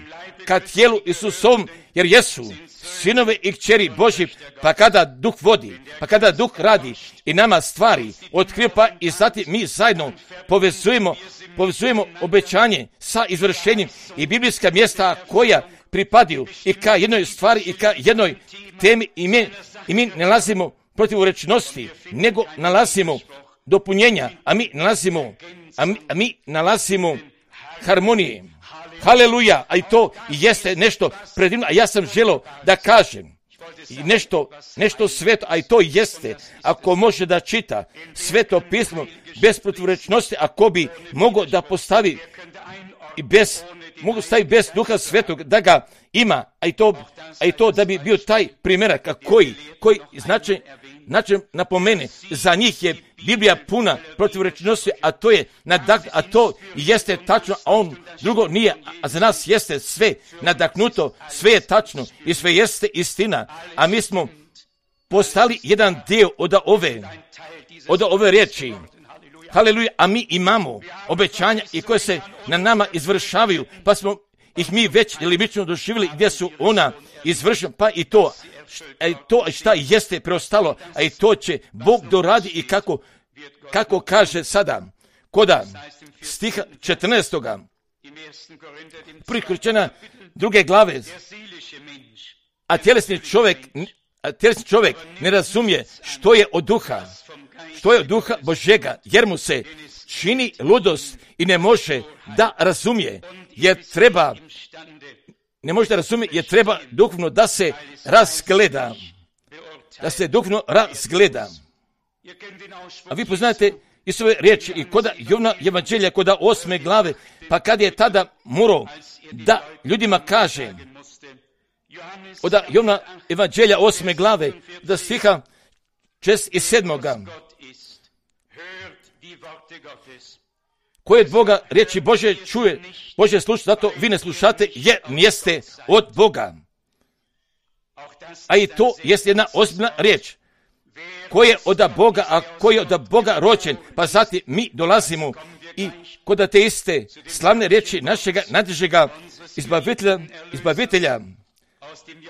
ka tijelu Isusovom, jer jesu sinove i kćeri Božji, pa kada Duh vodi, pa kada Duh radi i nama stvari otkriva, pa i zatim mi zajedno povezujemo, povezujemo obećanje sa izvršenjem i biblijska mjesta koja pripadaju i ka jednoj stvari i ka jednoj temi i mi, i mi nalazimo protivrečnosti, nego nalazimo dopunjenja, a mi nalazimo, a mi, a mi nalazimo harmonije. Haleluja, a i to jeste nešto predivno, a ja sam želio da kažem i nešto, nešto sveto, a i to jeste, ako može da čita sveto pismo bez protivrečnosti, ako bi mogao da postavi i bez, mogu staviti bez duha svetog, da ga ima, a i to, a i to da bi bio taj primjerak, a koji, koji znači, znači napomene, za njih je Biblija puna protivrečnosti, a to je nadak, a to jeste tačno, a on drugo nije, a za nas jeste sve nadaknuto, sve je tačno i sve jeste istina, a mi smo postali jedan dio od ove, od ove riječi. Haleluja, a mi imamo obećanja i koje se na nama izvršavaju, pa smo ih mi već delimično doživjeli gdje su ona izvršena, pa i to, a i to šta jeste preostalo, a i to će Bog doradi i kako, kako kaže sada, koda stiha četrnaestoga prvi Korinćana druge glave, a tjelesni čovjek, a tjelesni čovjek ne razumije što je od duha, što je od duha Božjega, jer mu se čini ludost i ne može da razumije, jer treba, ne može da razumije, jer treba duhovno da se razgleda, da se duhovno razgleda. A vi poznate Isove riječi i koda Jovna evanđelja, koda osme glave, pa kad je tada morao da ljudima kaže, od Jovna evanđelja osme glave, da stiha šest i sedmoga, koje od Boga riječi Bože čuje, Bože sluša, zato vi ne slušate, jer jeste od Boga. A i to jest jedna ozbiljna riječ. Ko je od Boga, a ko je od Boga rođen, pa zatim mi dolazimo i kod te iste slavne riječi našega najdražega izbavitelja, izbavitelja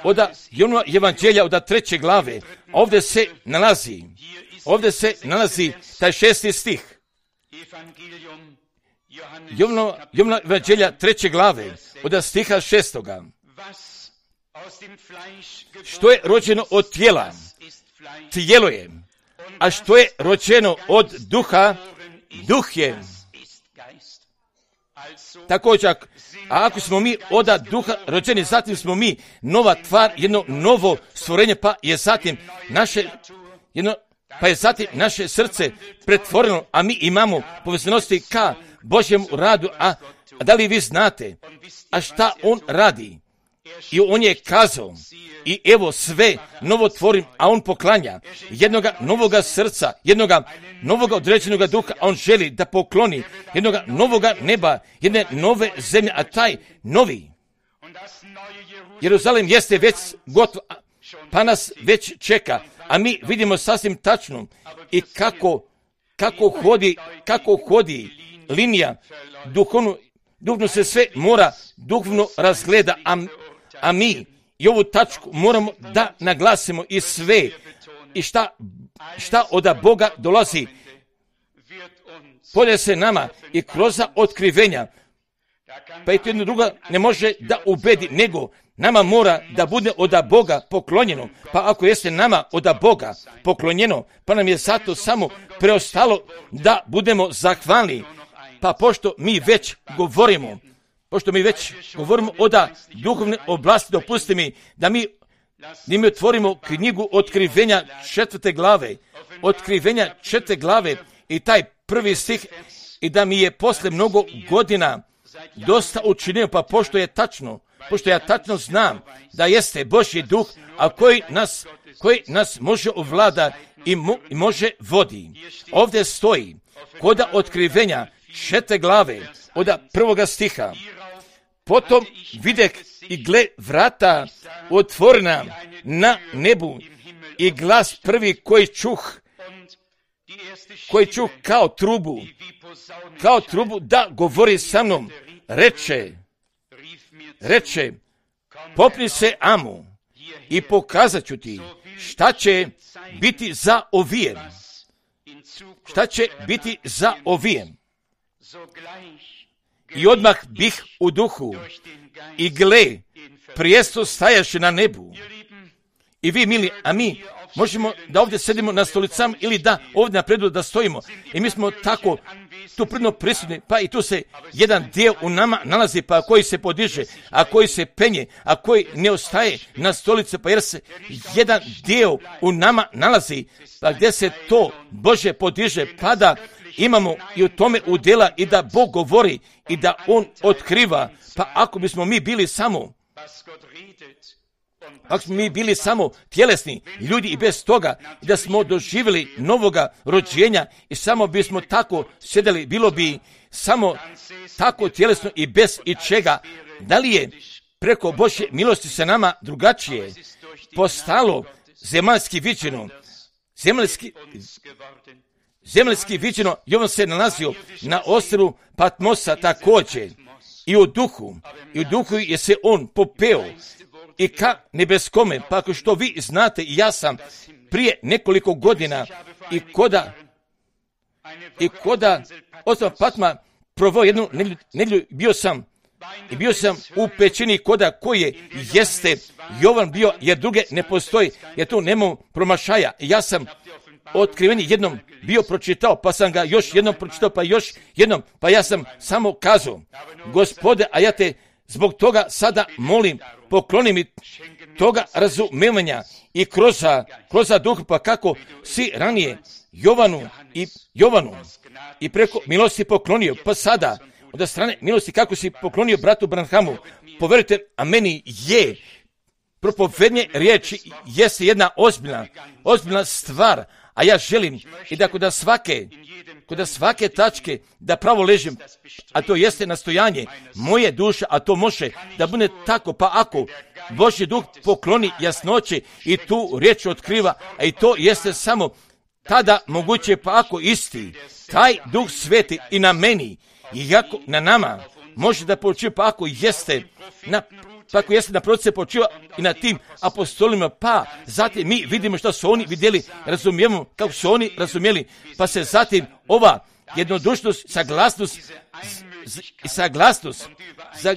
od Jovnova evanđelja od treće glave, ovdje se nalazi, ovdje se nalazi taj šesti stih. Jovnova evanđelja treće glave od stiha šestoga. Što je rođeno od tijela, tijelo je, a što je rođeno od duha, duh je. Također, a ako smo mi od duha rođeni, zatim smo mi nova tvar, jedno novo stvorenje, pa je zatim naše, jedno, pa je zatim naše srce pretvoreno, a mi imamo povezanosti ka Božjem radu, a, a da li vi znate, a šta on radi? I on je kazao, i evo sve novo tvorim, a on poklanja jednoga novoga srca, jednoga novoga određenoga duha, a on želi da pokloni jednoga novoga neba, jedne nove zemlje, a taj novi Jeruzalem jeste već gotov, pa nas već čeka, a mi vidimo sasvim tačno i kako, kako hodi, kako hodi linija duhovno, duhovno se sve mora duhovno razgleda, a, a mi i ovu tačku moramo da naglasimo i sve i šta, šta od Boga dolazi polje se nama i kroz otkrivenja, pa i to jedno drugo ne može da ubedi, nego nama mora da bude od Boga poklonjeno, pa ako jeste nama od Boga poklonjeno, pa nam je zato samo preostalo da budemo zahvalni, pa pošto mi već govorimo, pošto mi već govorimo o da duhovne oblasti, dopusti mi da mi, da mi otvorimo knjigu otkrivenja četvrte glave, otkrivenja četvrte glave i taj prvi stih, i da mi je posle mnogo godina dosta učinio, pa pošto je tačno, pošto ja tačno znam da jeste Božji duh, a koji nas, koji nas može ovlada i, mo, i može vodi. Ovdje stoji kod otkrivenja četvrte glave od prvoga stiha. Potom videh i gle vrata otvorena na nebu i glas prvi koji čuh, koji čuh kao trubu, kao trubu da govori sa mnom, reče, reče, popni se Amu i pokazat ću ti šta će biti za ovijem, šta će biti za ovijem. I odmah bih u duhu i gle, prijesto stajaše na nebu. I vi, mili, a mi možemo da ovdje sedimo na stolicama ili da ovdje napredu da stojimo. I mi smo tako tu predno prisutni, pa i tu se jedan dio u nama nalazi, pa koji se podiže, a koji se penje, a koji ne ostaje na stolice, pa jer se jedan dio u nama nalazi, pa gdje se to Bože podiže, pa da imamo i u tome udjela i da Bog govori i da On otkriva. Pa ako bismo mi bili samo Ako smo mi bili samo tjelesni ljudi i bez toga, i da smo doživjeli novoga rođenja i samo bismo tako sjedeli, bilo bi samo tako tjelesno i bez ičega. Da li je preko Božje milosti sa nama drugačije postalo zemaljski viđeno? Zemaljski, zemaljski viđeno, Jovan se nalazio na ostrvu Patmosa također i u duhu, i u duhu je se on popeo i ka nebeskome, pa ako što vi znate, ja sam prije nekoliko godina i koda i koda ostrva Patma provao jednu nedjelju, bio sam i bio sam u pećini koda koje jeste Jovan bio, jer druge ne postoji, jer tu nema promašaja. Ja sam otkrivenje jednom bio pročitao, pa sam ga još jednom pročitao, pa još jednom, pa ja sam samo kazao, Gospode, a ja te zbog toga sada molim, pokloni mi toga razumevanja i kroz, kroz duh, pa kako si ranije Jovanu i Jovanu i preko milosti poklonio, pa sada od strane milosti kako si poklonio bratu Branhamu, poverujte, a meni je propovednje riječi jeste jedna ozbiljna, ozbiljna stvar, a ja želim i da kod svake, kod svake tačke da pravo ležim, a to jeste nastojanje moje duše, a to može da bude tako, pa ako Božji duh pokloni jasnoće i tu riječ otkriva, a i to jeste samo tada moguće, pa ako isti taj duh sveti i na meni i jako na nama može da počiva, pa ako jeste na pa ako jeste na proces počiva i na tim apostolima, pa zatim mi vidimo što su oni vidjeli, razumijemo kako su oni razumjeli, pa se zatim ova jednodušnost, saglasnost i saglasnost za,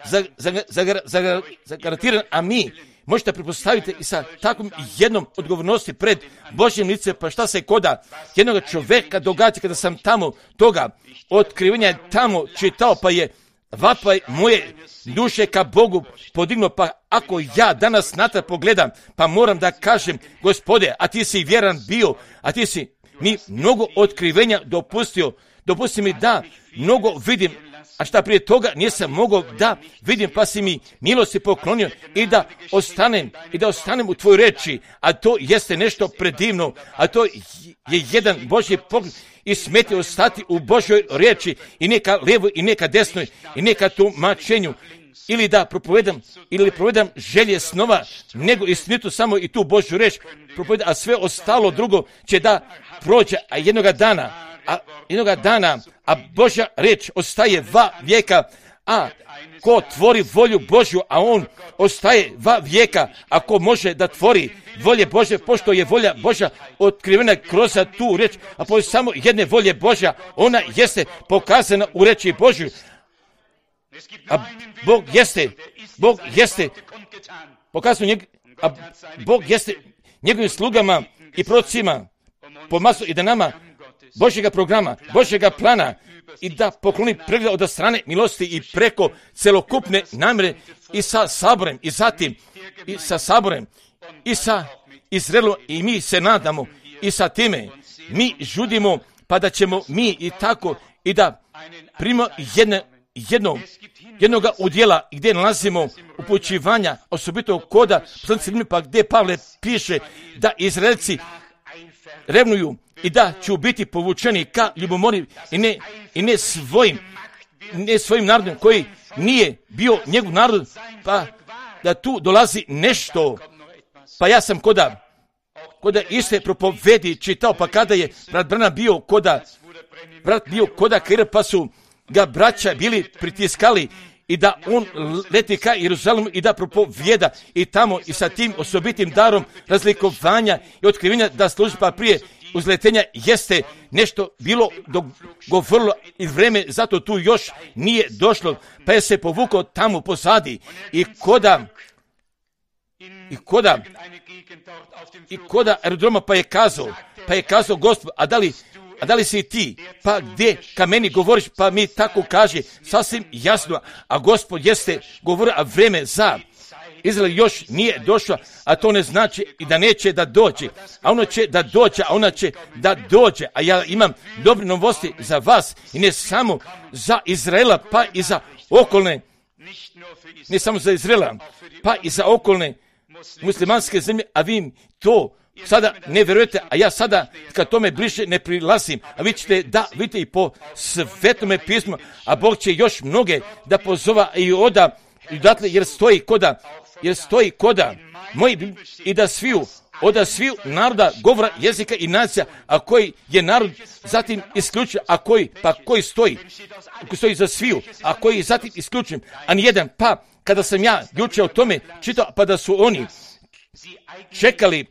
za, za, za, za, za garantiran, a mi možete pretpostaviti i sa takvom jednom odgovornosti pred Božjim licem, pa šta se koda jednog čovjeka događa kada sam tamo toga otkrivanja tamo čitao, pa je vapaj moje duše ka Bogu podignuo, pa ako ja danas natrag pogledam, pa moram da kažem, Gospode, a ti si vjeran bio, a ti si mi mnogo otkrivenja dopustio, dopusti mi da mnogo vidim, a šta prije toga nisam mogao da vidim, pa si mi milosti poklonio i da ostanem, i da ostanem u tvojoj reči, a to jeste nešto predivno, a to je jedan Božji pogled i smeti ostati u Božjoj riječi i neka lijevo i neka desnoj i neka tumačenju, ili da propovedam, ili propovedam želje snova, nego istinitu samo i tu Božju riječ propovedam, a sve ostalo drugo će da prođe, a jednoga dana, a jednoga dana, a Božja riječ ostaje va vijeka, a ko tvori volju Božju, a on ostaje va vijeka, a ko može da tvori volje Božje, pošto je volja Božja otkrivena kroz tu riječ, a po samo jedne volje Božja, ona jeste pokazana u riječi Božju. A Bog jeste, Bog jeste, pokazano njeg, a Bog jeste njegovim slugama i prorocima pomazu i da nama Božjega programa, Božjega plana i da pokloni pregled od strane milosti i preko celokupne namjere i sa saborem i zatim i sa saborem i sa Izraelom i mi se nadamo i sa time mi žudimo pa da ćemo mi i tako i da primimo jedne, jedno, jednoga udjela gdje nalazimo upućivanja osobito koda pa gdje Pavle piše da Izraelci revnuju i da ću biti povučeni ka ljubomori i ne, i ne svojim ne svojim narodom koji nije bio njegov narod, pa da tu dolazi nešto. Pa ja sam koda koda iste propovedi čitao, pa kada je brat Branham bio koda brat bio koda Kaira, pa su ga braća bili pritiskali i da on leti ka Jeruzalemu i da propovjeda i tamo i sa tim osobitim darom razlikovanja i otkrivenja da služi, pa prije uzletenja jeste nešto bilo dogovorilo i vreme, zato tu još nije došlo, pa je se povukao tamo pozadi i koda i koda i koda aerodroma, pa je kazao, pa je kazao Gospod, a da li A da li si ti, pa gdje ka meni govoriš, pa mi tako kaže, sasvim jasno, a Gospod jeste govorio, a vreme za Izrael još nije došlo, a to ne znači i da neće da dođe, a ono će da dođe, a ona će da dođe, a ja imam dobre novosti za vas i ne samo za Izraela, pa i za okolne, ne samo za Izraela, pa i za okolne muslimanske zemlje, a vi to sada ne vjerujete, a ja sada kad tome bliže ne prilazim, a vi ćete da vidite i po Svetome pismu, a Bog će još mnoge da pozova i oda, i odatle, jer stoji koda, jer stoji koda, moji i da sviju, oda sviju naroda, govora, jezika i nacija, a koji je narod zatim isključen, a koji, pa koji stoji, koji stoji za sviju, a koji je zatim isključen, a nijedan, pa kada sam ja juče o tome čitao, pa da su oni čekali,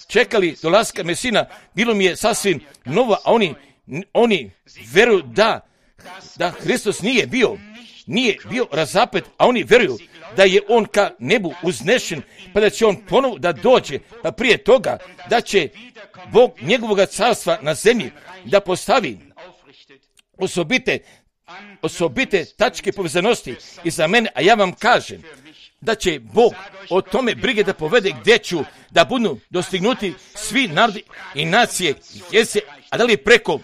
čekali dolaska Mesina, bilo mi je sasvim novo, a oni, oni veruju da, da Hristos nije bio, nije bio razapet, a oni veruju da je on ka nebu uznešen, pa da će on ponovo da dođe, pa prije toga da će Bog njegovog carstva na zemlji da postavi osobite, osobite tačke povezanosti i za mene, a ja vam kažem da će Bog o tome brige da povede gdje ću da budu dostignuti svi narodi i nacije, jesi, a da li preko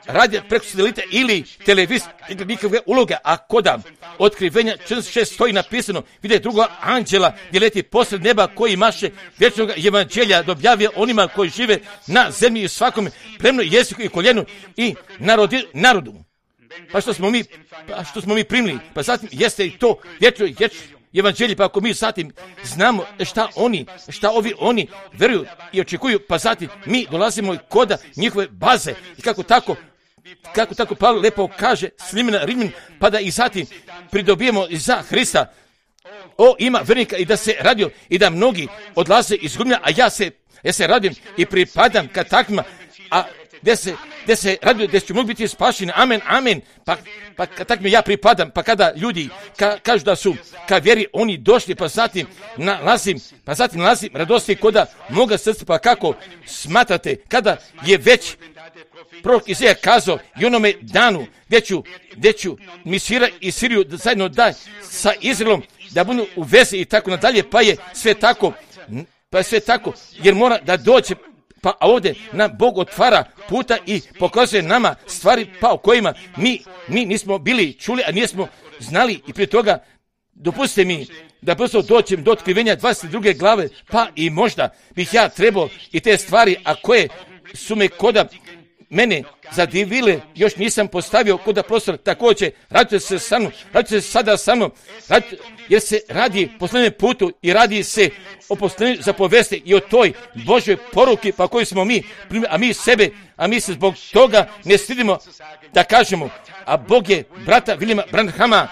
radija, preko satelita ili televizije, nikakve uloge, a koda otkrivenja četrdeset šest stoji napisano, vidje druga anđela gdje leti posred neba koji maše vječnog evanđelja da objavio onima koji žive na zemlji i svakom plemnu jeziku i koljenu i narodi, narodu. Pa što smo mi, pa što smo mi primili, pa zatim jeste i to vječno, vječno evanđelje, pa ako mi zatim znamo šta oni, šta ovi oni veruju i očekuju, pa zatim mi dolazimo koda njihove baze i kako tako, kako tako Pavle lepo kaže Slimena Rimljan, pa da i zatim pridobijemo za Hrista. O, ima vernika i da se radio i da mnogi odlaze iz gumlja, a ja se, ja se radim i pripadam ka takvima, a gdje se, gdje se radio, gdje ću mogu biti spašeni, amen, amen, pa, pa takvim ja pripadam, pa kada ljudi ka, kažu da su ka vjeri oni došli, pa zatim nalazim, pa zatim nalazim radosti koda moga srca, pa kako smatrate, kada je već prorok Izaja kazao i onome danu, gdje ću, gdje ću Misira i Siriju da zajedno da sa Izraelom, da budu u vezi i tako nadalje, pa je sve tako, pa je sve tako, jer mora da dođe. Pa ovdje nam Bog otvara puta i pokazuje nama stvari pa o kojima mi, mi nismo bili čuli, a nismo znali i prije toga dopustite mi da brzo dođem do otkrivenja dvadeset druge glave, pa i možda bih ja trebao i te stvari, a koje su me koda mene zadivile, još nisam postavio koda prostor, također radite se sa mnom, radite se sada sa mnom, radite, jer se radi posljednjem putu i radi se o posljednjem zapovesti i o toj Božoj poruki pa koju smo mi, a mi sebe, a mi se zbog toga ne stidimo da kažemo, a Bog je brata Williama Branhama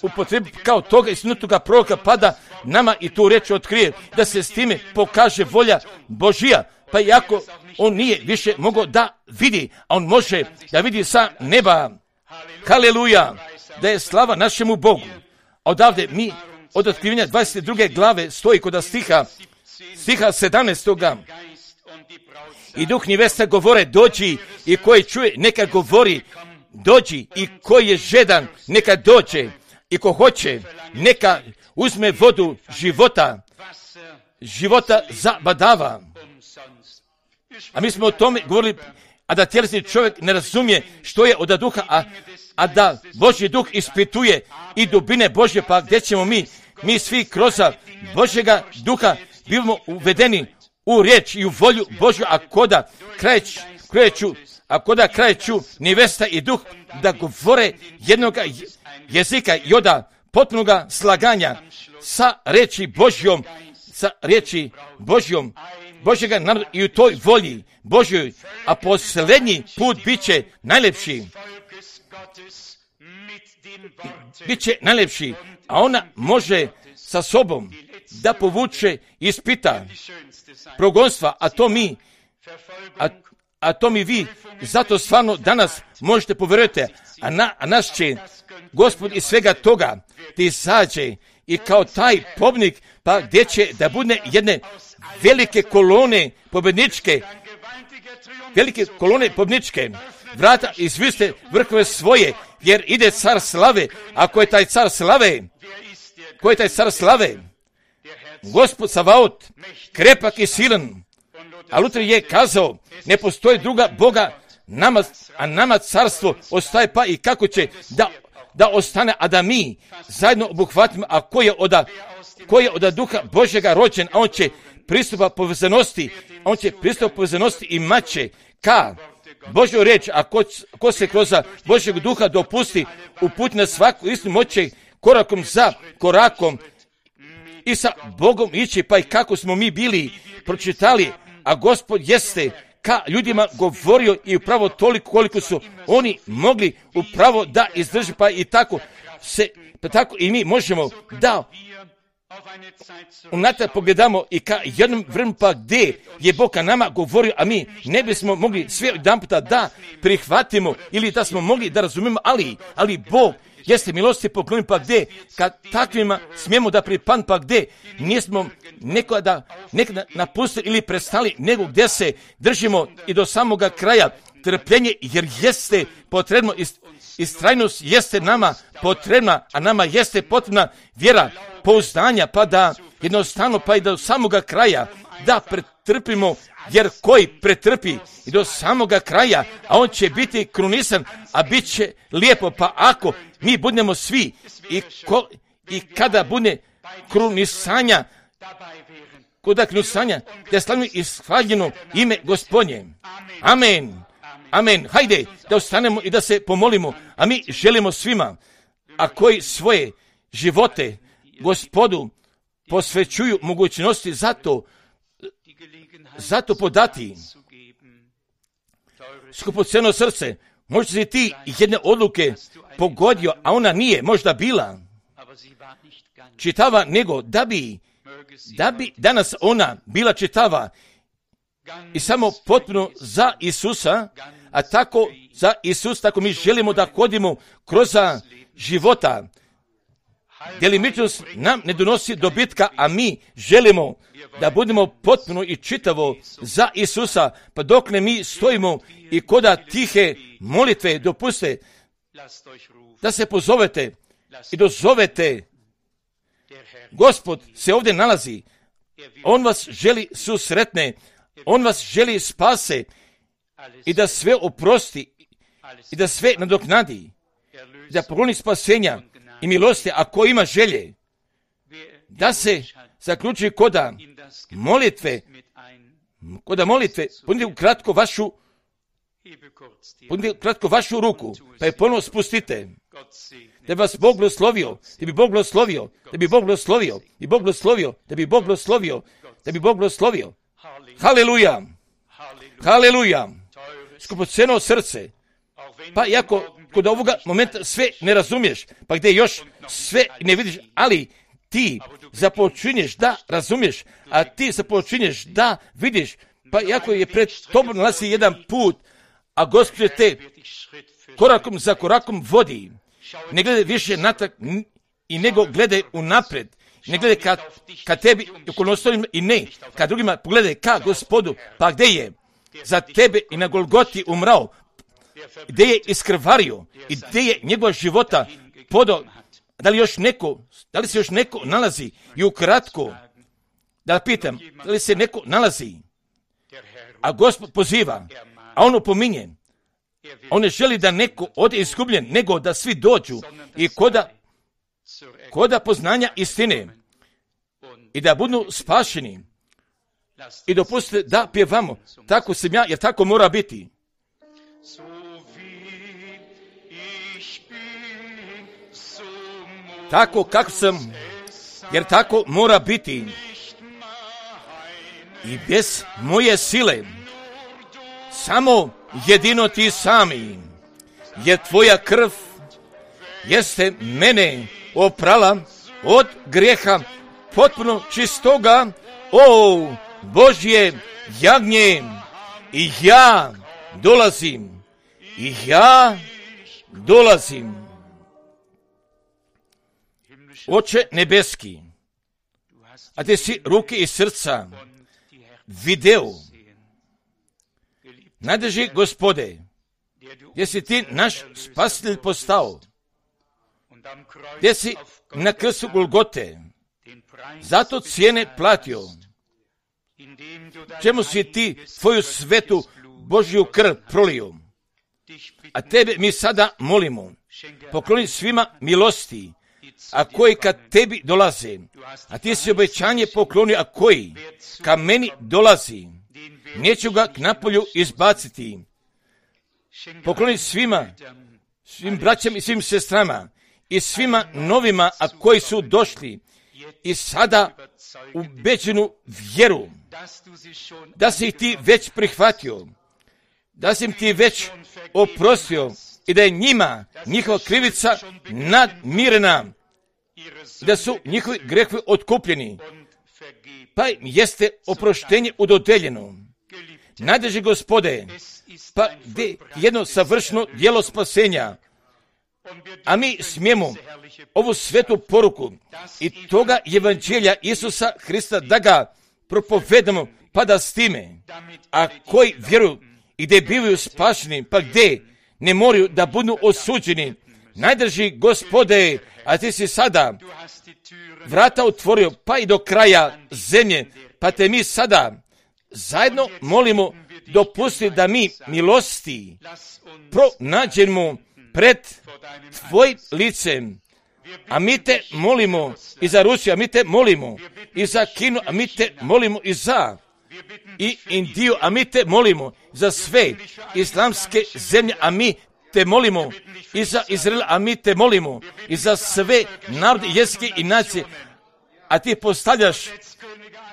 upotrebi kao toga isnutoga proroka, pa da nama i tu reč otkrije, da se s time pokaže volja Božija, pa iako on nije više mogao da vidi, a on može da vidi sa neba. Haleluja, da je slava našemu Bogu. Odavde mi od otkrivenja dvadeset druge glave stoji kod stiha, stiha sedamnaestoga I duh njevesta govore dođi i koji čuje neka govori dođi i koji je žedan neka dođe i ko hoće neka uzme vodu života, života zabadava. A mi smo o tome govorili, a da tjelesni čovjek ne razumije što je od duha, a, a da Božji duh ispituje i dubine Božje, pa gdje ćemo mi, mi svi kroz Božjega duha bivamo uvedeni u riječ i u volju Božju, a koda krajeć, krajeću, a koda krajeću nevesta i duh da govore jednog jezika i oda potpunoga slaganja sa riječi Božjom, sa riječi Božjom, Božjega naroda i u toj volji Božjoj, a posljednji put bit će najlepši. Bit će najlepši, a ona može sa sobom da povuče ispita progonstva, a to mi A, a to mi vi, zato stvarno danas možete povjerujete, a, na, a naš će Gospod iz svega toga da izađe i kao taj pobjednik, pa gdje će da bude jedne velike kolone pobjedničke, velike kolone pobjedničke, vrata izviste vrhove svoje, jer ide car slave. Ako je taj car slave, ko je taj car slave? Gospod Savaot, krepak i silan. A Luter je kazao, ne postoji druga Boga, nama, a nama carstvo ostaje, pa i kako će da, da ostane, a da mi zajedno obuhvatimo, a ko je od, ko je od Duha Božjega rođen, a on će pristupa povezanosti, on će pristupa povezanosti i maće ka Božju riječ, a ko, ko se kroz Božjeg Duha dopusti uputi na svaku istinu, moće korakom za korakom i sa Bogom ići, pa i kako smo mi bili pročitali, a Gospod jeste ka ljudima govorio i upravo toliko koliko su oni mogli upravo da izdrži, pa i tako se, pa tako i mi možemo da unatrag pogledamo i ka jednom vremenu, pa gdje je Bog ka nama govorio, a mi ne bismo mogli sve jedan puta da prihvatimo ili da smo mogli da razumijemo, ali, ali Bog jeste milosti poklonjen, pa gdje kad takvima smijemo da pripadnemo, pa gdje nismo nekada, nekada napustili ili prestali, nego gdje se držimo i do samoga kraja trpljenje, jer jeste potrebno, istrajnost jeste nama potrebna, a nama jeste potrebna vjera, pouzdanja, pa da jednostavno, pa i do samoga kraja da pretrpimo, jer koji pretrpi i do samoga kraja, a on će biti krunisan, a bit će lijepo, pa ako mi budemo svi i, ko, i kada bude krunisanja, kuda krunisanja, da slavimo ishvaljeno ime Gospodnje. Amen. Amen. Hajde da ostanemo i da se pomolimo, a mi želimo svima, a koji svoje živote Gospodu posvećuju mogućnosti, zato zato podati skupoceno srce. Možda si ti jedne odluke pogodio, a ona nije možda bila čitava, nego da bi, da bi danas ona bila čitava i samo potpuno za Isusa, a tako za Isus, tako mi želimo da hodimo kroz života. Delimičnost nam ne donosi dobitka, a mi želimo da budemo potpuno i čitavo za Isusa, pa dok ne mi stojimo i koda tihe molitve dopuste da se pozovete i dozovete. Gospod se ovdje nalazi, on vas želi susretne, on vas želi spase i da sve oprosti i da sve nadoknadi, da pokloni spasenja i milosti, a ko ima želje da se zaključi koda molitve, koda molitve, punite kratko vašu, punite kratko vašu ruku, pa je ponovno spustite, da bi vas Bog blagoslovio, da bi Bog blagoslovio, da bi Bog blagoslovio, i Bog blagoslovio, da bi Bog blagoslovio, da bi Bog blagoslovio. Haleluja, haleluja, skupoceno srce, pa iako kod ovoga momenta sve ne razumiješ, pa gdje još sve ne vidiš, ali ti započinješ da razumiješ, a ti započinješ da vidiš, pa iako je pred tobom nalazi jedan put, a Gospod te korakom za korakom vodi, ne gledaj više natrag i nego gledaj unaprijed, ne gledaj ka, ka tebi i okolnostima i ne, ka drugima pogledaj ka Gospodu, pa gdje je za tebe i na Golgoti umrao, gdje je iskrvario i gdje je njegova života podao. Da li još neko, da li se još neko nalazi i ukratko, da pitam, da li se neko nalazi, a Gospod poziva, a on opominje, on ne želi da neko ode izgubljen, nego da svi dođu i koda, koda poznanja istine i da budu spašeni i dopustite da pjevamo, tako sam ja, jer tako mora biti. Tako kako sam, jer tako mora biti. I bez moje sile, samo jedino ti sami, jer tvoja krv jeste mene oprala od grijeha potpuno čistoga. O Božje jagnje, i ja dolazim, i ja dolazim. Oče nebeski, a ti si ruke i srca video. Najdrži Gospode, gdje si ti naš spasitelj postao, gdje si na krstu Golgote, zato cijene platio, čemu si ti tvoju svetu Božju krv prolio. A tebe mi sada molimo, pokloni svima milosti, a koji kad tebi dolaze, a ti si obećanje poklonio, a koji ka meni dolazi, neću ga k napolju izbaciti. Pokloni svima, svim braćama i svim sestrama i svima novima, a koji su došli i sada ubeđenu vjeru, da si ih ti već prihvatio, da si im ti već oprostio i da je njima njihova krivica nadmirena, da su njihovi grehovi otkupljeni, pa im jeste oproštenje udodeljeno. Najdrži Gospode, pa gdje jedno savršeno djelo spasenja, a mi smijemo ovu svetu poruku i toga evanđelja Isusa Hrista da ga propovedamo, pa da s time, a koji vjeruju i gdje bivaju spašeni, pa gdje ne moraju da budu osuđeni. Najdrži Gospode, a ti si sada vrata otvorio, pa i do kraja zemlje, pa te mi sada zajedno molimo, dopusti da mi milosti pronađemo pred tvojim licem. A mi te molimo i za Rusiju, a mi te molimo i za Kinu, a mi te molimo i za i Indiju, a mi te molimo za sve islamske zemlje, a mi te molimo i za Izrael, a mi te molimo i za sve narode, jezike i nacije, a ti postavljaš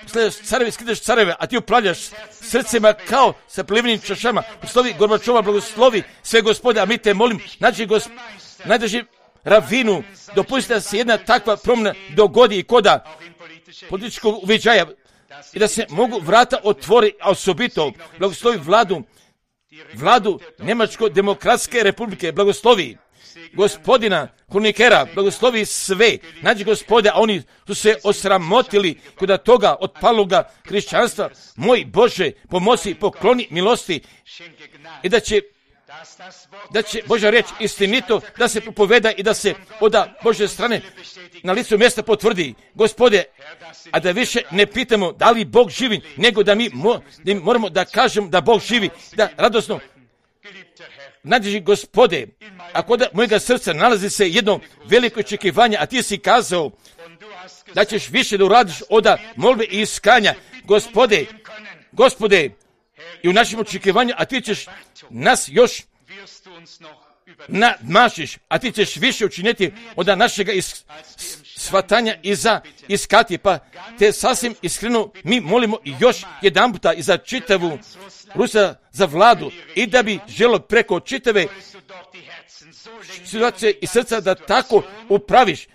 stavljaš careve, skidaš careve, a ti upravljaš srcima kao sa plivenim čašama. Blagoslovi Gorbačova, blagoslovi sve Gospode, a mi te molim, nađi gosp... najdrži Ravinu, dopusti da se jedna takva promjena dogodi i koda političkog uviđaja i da se mogu vrata otvori, a osobito blagoslovi vladu, vladu Njemačko-demokratske republike, blagoslovi gospodina Honeckera, blagoslovi sve, nađi Gospode, a oni su se osramotili kod toga otpaloga hrišćanstva. Moj Bože, pomozi, pokloni milosti i da će da će Božja riječ istinito da se propoveda i da se od Božje strane na licu mjesta potvrdi. Gospode, a da više ne pitamo da li Bog živi, nego da mi, mo, da mi moramo da kažemo da Bog živi, da radosno nađi Gospode, a kod mojega srca nalazi se jedno veliko očekivanje, a ti si kazao da ćeš više da uradiš od molbe i iskanja. Gospode, Gospode, i u našem očekivanju, a ti ćeš nas još nadmašiš, a ti ćeš više učiniti od našega is, shvatanja i za iskati, pa te sasvim iskreno mi molimo još jedan puta i za čitavu Rusiju, za vladu i da bi želo preko čitave situacije i srca da tako upraviš,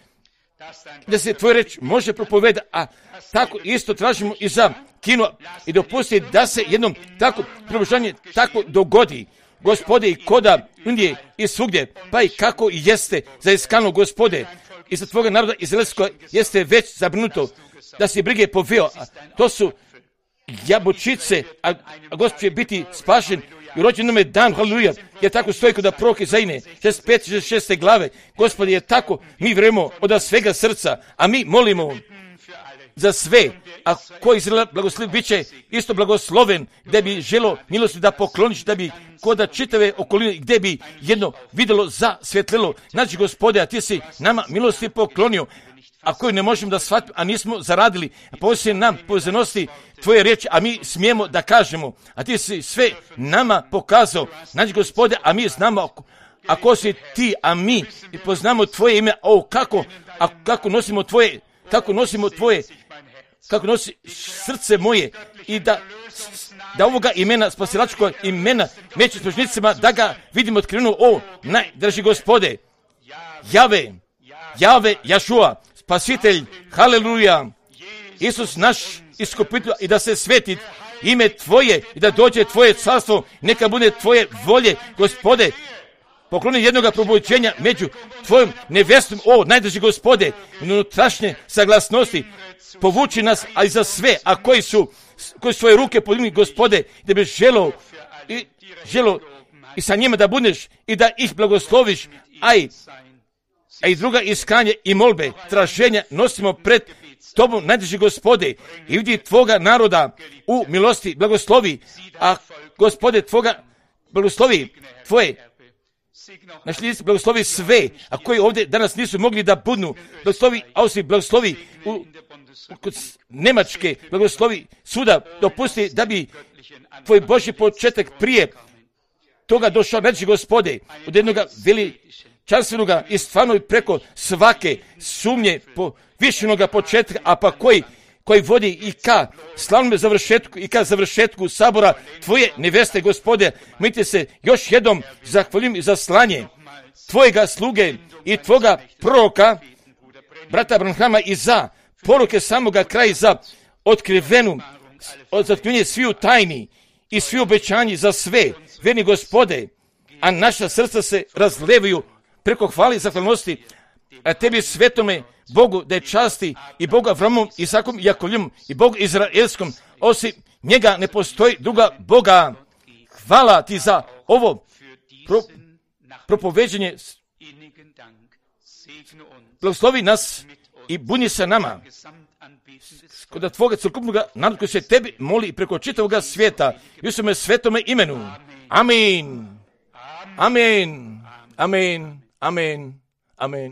da se tvoj reč može propovedati, a tako isto tražimo i za Kinu i dopusti da se jednom tako probožanje tako dogodi. Gospode, i koda Indije i svugdje, pa i kako i jeste za iskano, Gospode, i za tvoga naroda izraelskog jeste već zabrinuto da se brige poveo. To su jabučice, a, a Gospod će biti spašen i rođen je dan, haleluja, jer tako stoji kod proroka Izaije, šezdeset pete, šezdeset šeste glave. Gospode, je tako, mi vremo od svega srca, a mi molimo za sve, a ko Izrael blagoslov bit će isto blagosloven, gdje bi želo milosti da pokloniš, da bi koda čitave okoline, gdje bi jedno vidjelo za svjetlilo. Znači, Gospode, a ti si nama milosti poklonio, a koju ne možemo da shvatimo, a nismo zaradili, a poslije nam povezanosti tvoje riječi, a mi smijemo da kažemo, a ti si sve nama pokazao. Znači, Gospode, a mi znamo ako si ti, a mi poznamo tvoje ime, o kako, a kako nosimo tvoje, kako nosimo tvoje, kako nosi srce moje i da, da ovoga imena, spasilačkog imena, među služnicima, da ga vidimo otkriveno, o najdraži Gospode, Jave, Jave, Jašua, spasitelj, haleluja, Isus naš iskupitelj, i da se sveti ime Tvoje i da dođe Tvoje carstvo, neka bude Tvoje volje, Gospode. Pokloni jednoga probuđenja među Tvojom nevestom, o najdrži Gospode, unutrašnje saglasnosti, povuči nas, a i za sve, a koji su, koji su svoje ruke podigli, Gospode, da bi želo i, želo i sa njima da budeš i da ih blagosloviš, a i, a i druga iskanje i molbe, traženja nosimo pred Tobom, najdrži Gospode, i vidi Tvoga naroda u milosti, blagoslovi, a Gospode Tvoga blagoslovi, Tvoje, naš list blagoslovi sve, a koji ovdje danas nisu mogli da budnu, blagoslovi Austriji, blagoslovi u, kod Njemačke, blagoslovi svuda, dopusti da bi Tvoj Božji početak prije toga došao, naši Gospode, od jednoga veličanstvenoga i stvarno preko svake sumnje po višenoga početka, a pa koji koji vodi i ka slavnom završetku i ka završetku sabora Tvoje neveste, Gospode. Mi ti se još jednom zahvaljujem za slanje Tvojega sluge i Tvoga proroka, brata Branhama, i za poruke samoga kraja, za otkrivenu, od otkrivenje sviju tajni i svi obećanji za sve, verni Gospode, a naša srca se razlevaju preko hvale i zahvalnosti, a Tebi svetome Bogu da je časti i Bogu Avramom, Isakom i Jakovljom i Bogu Izraelskom, osim njega ne postoji druga Boga. Hvala Ti za ovo pro, propoveđenje. Blagoslovi nas i buni se nama kod Tvoga celokupnog naroda koji se Tebi moli preko čitavoga svijeta i u svome svetome imenu. Amin. Amin. Amin. Amin. Amin.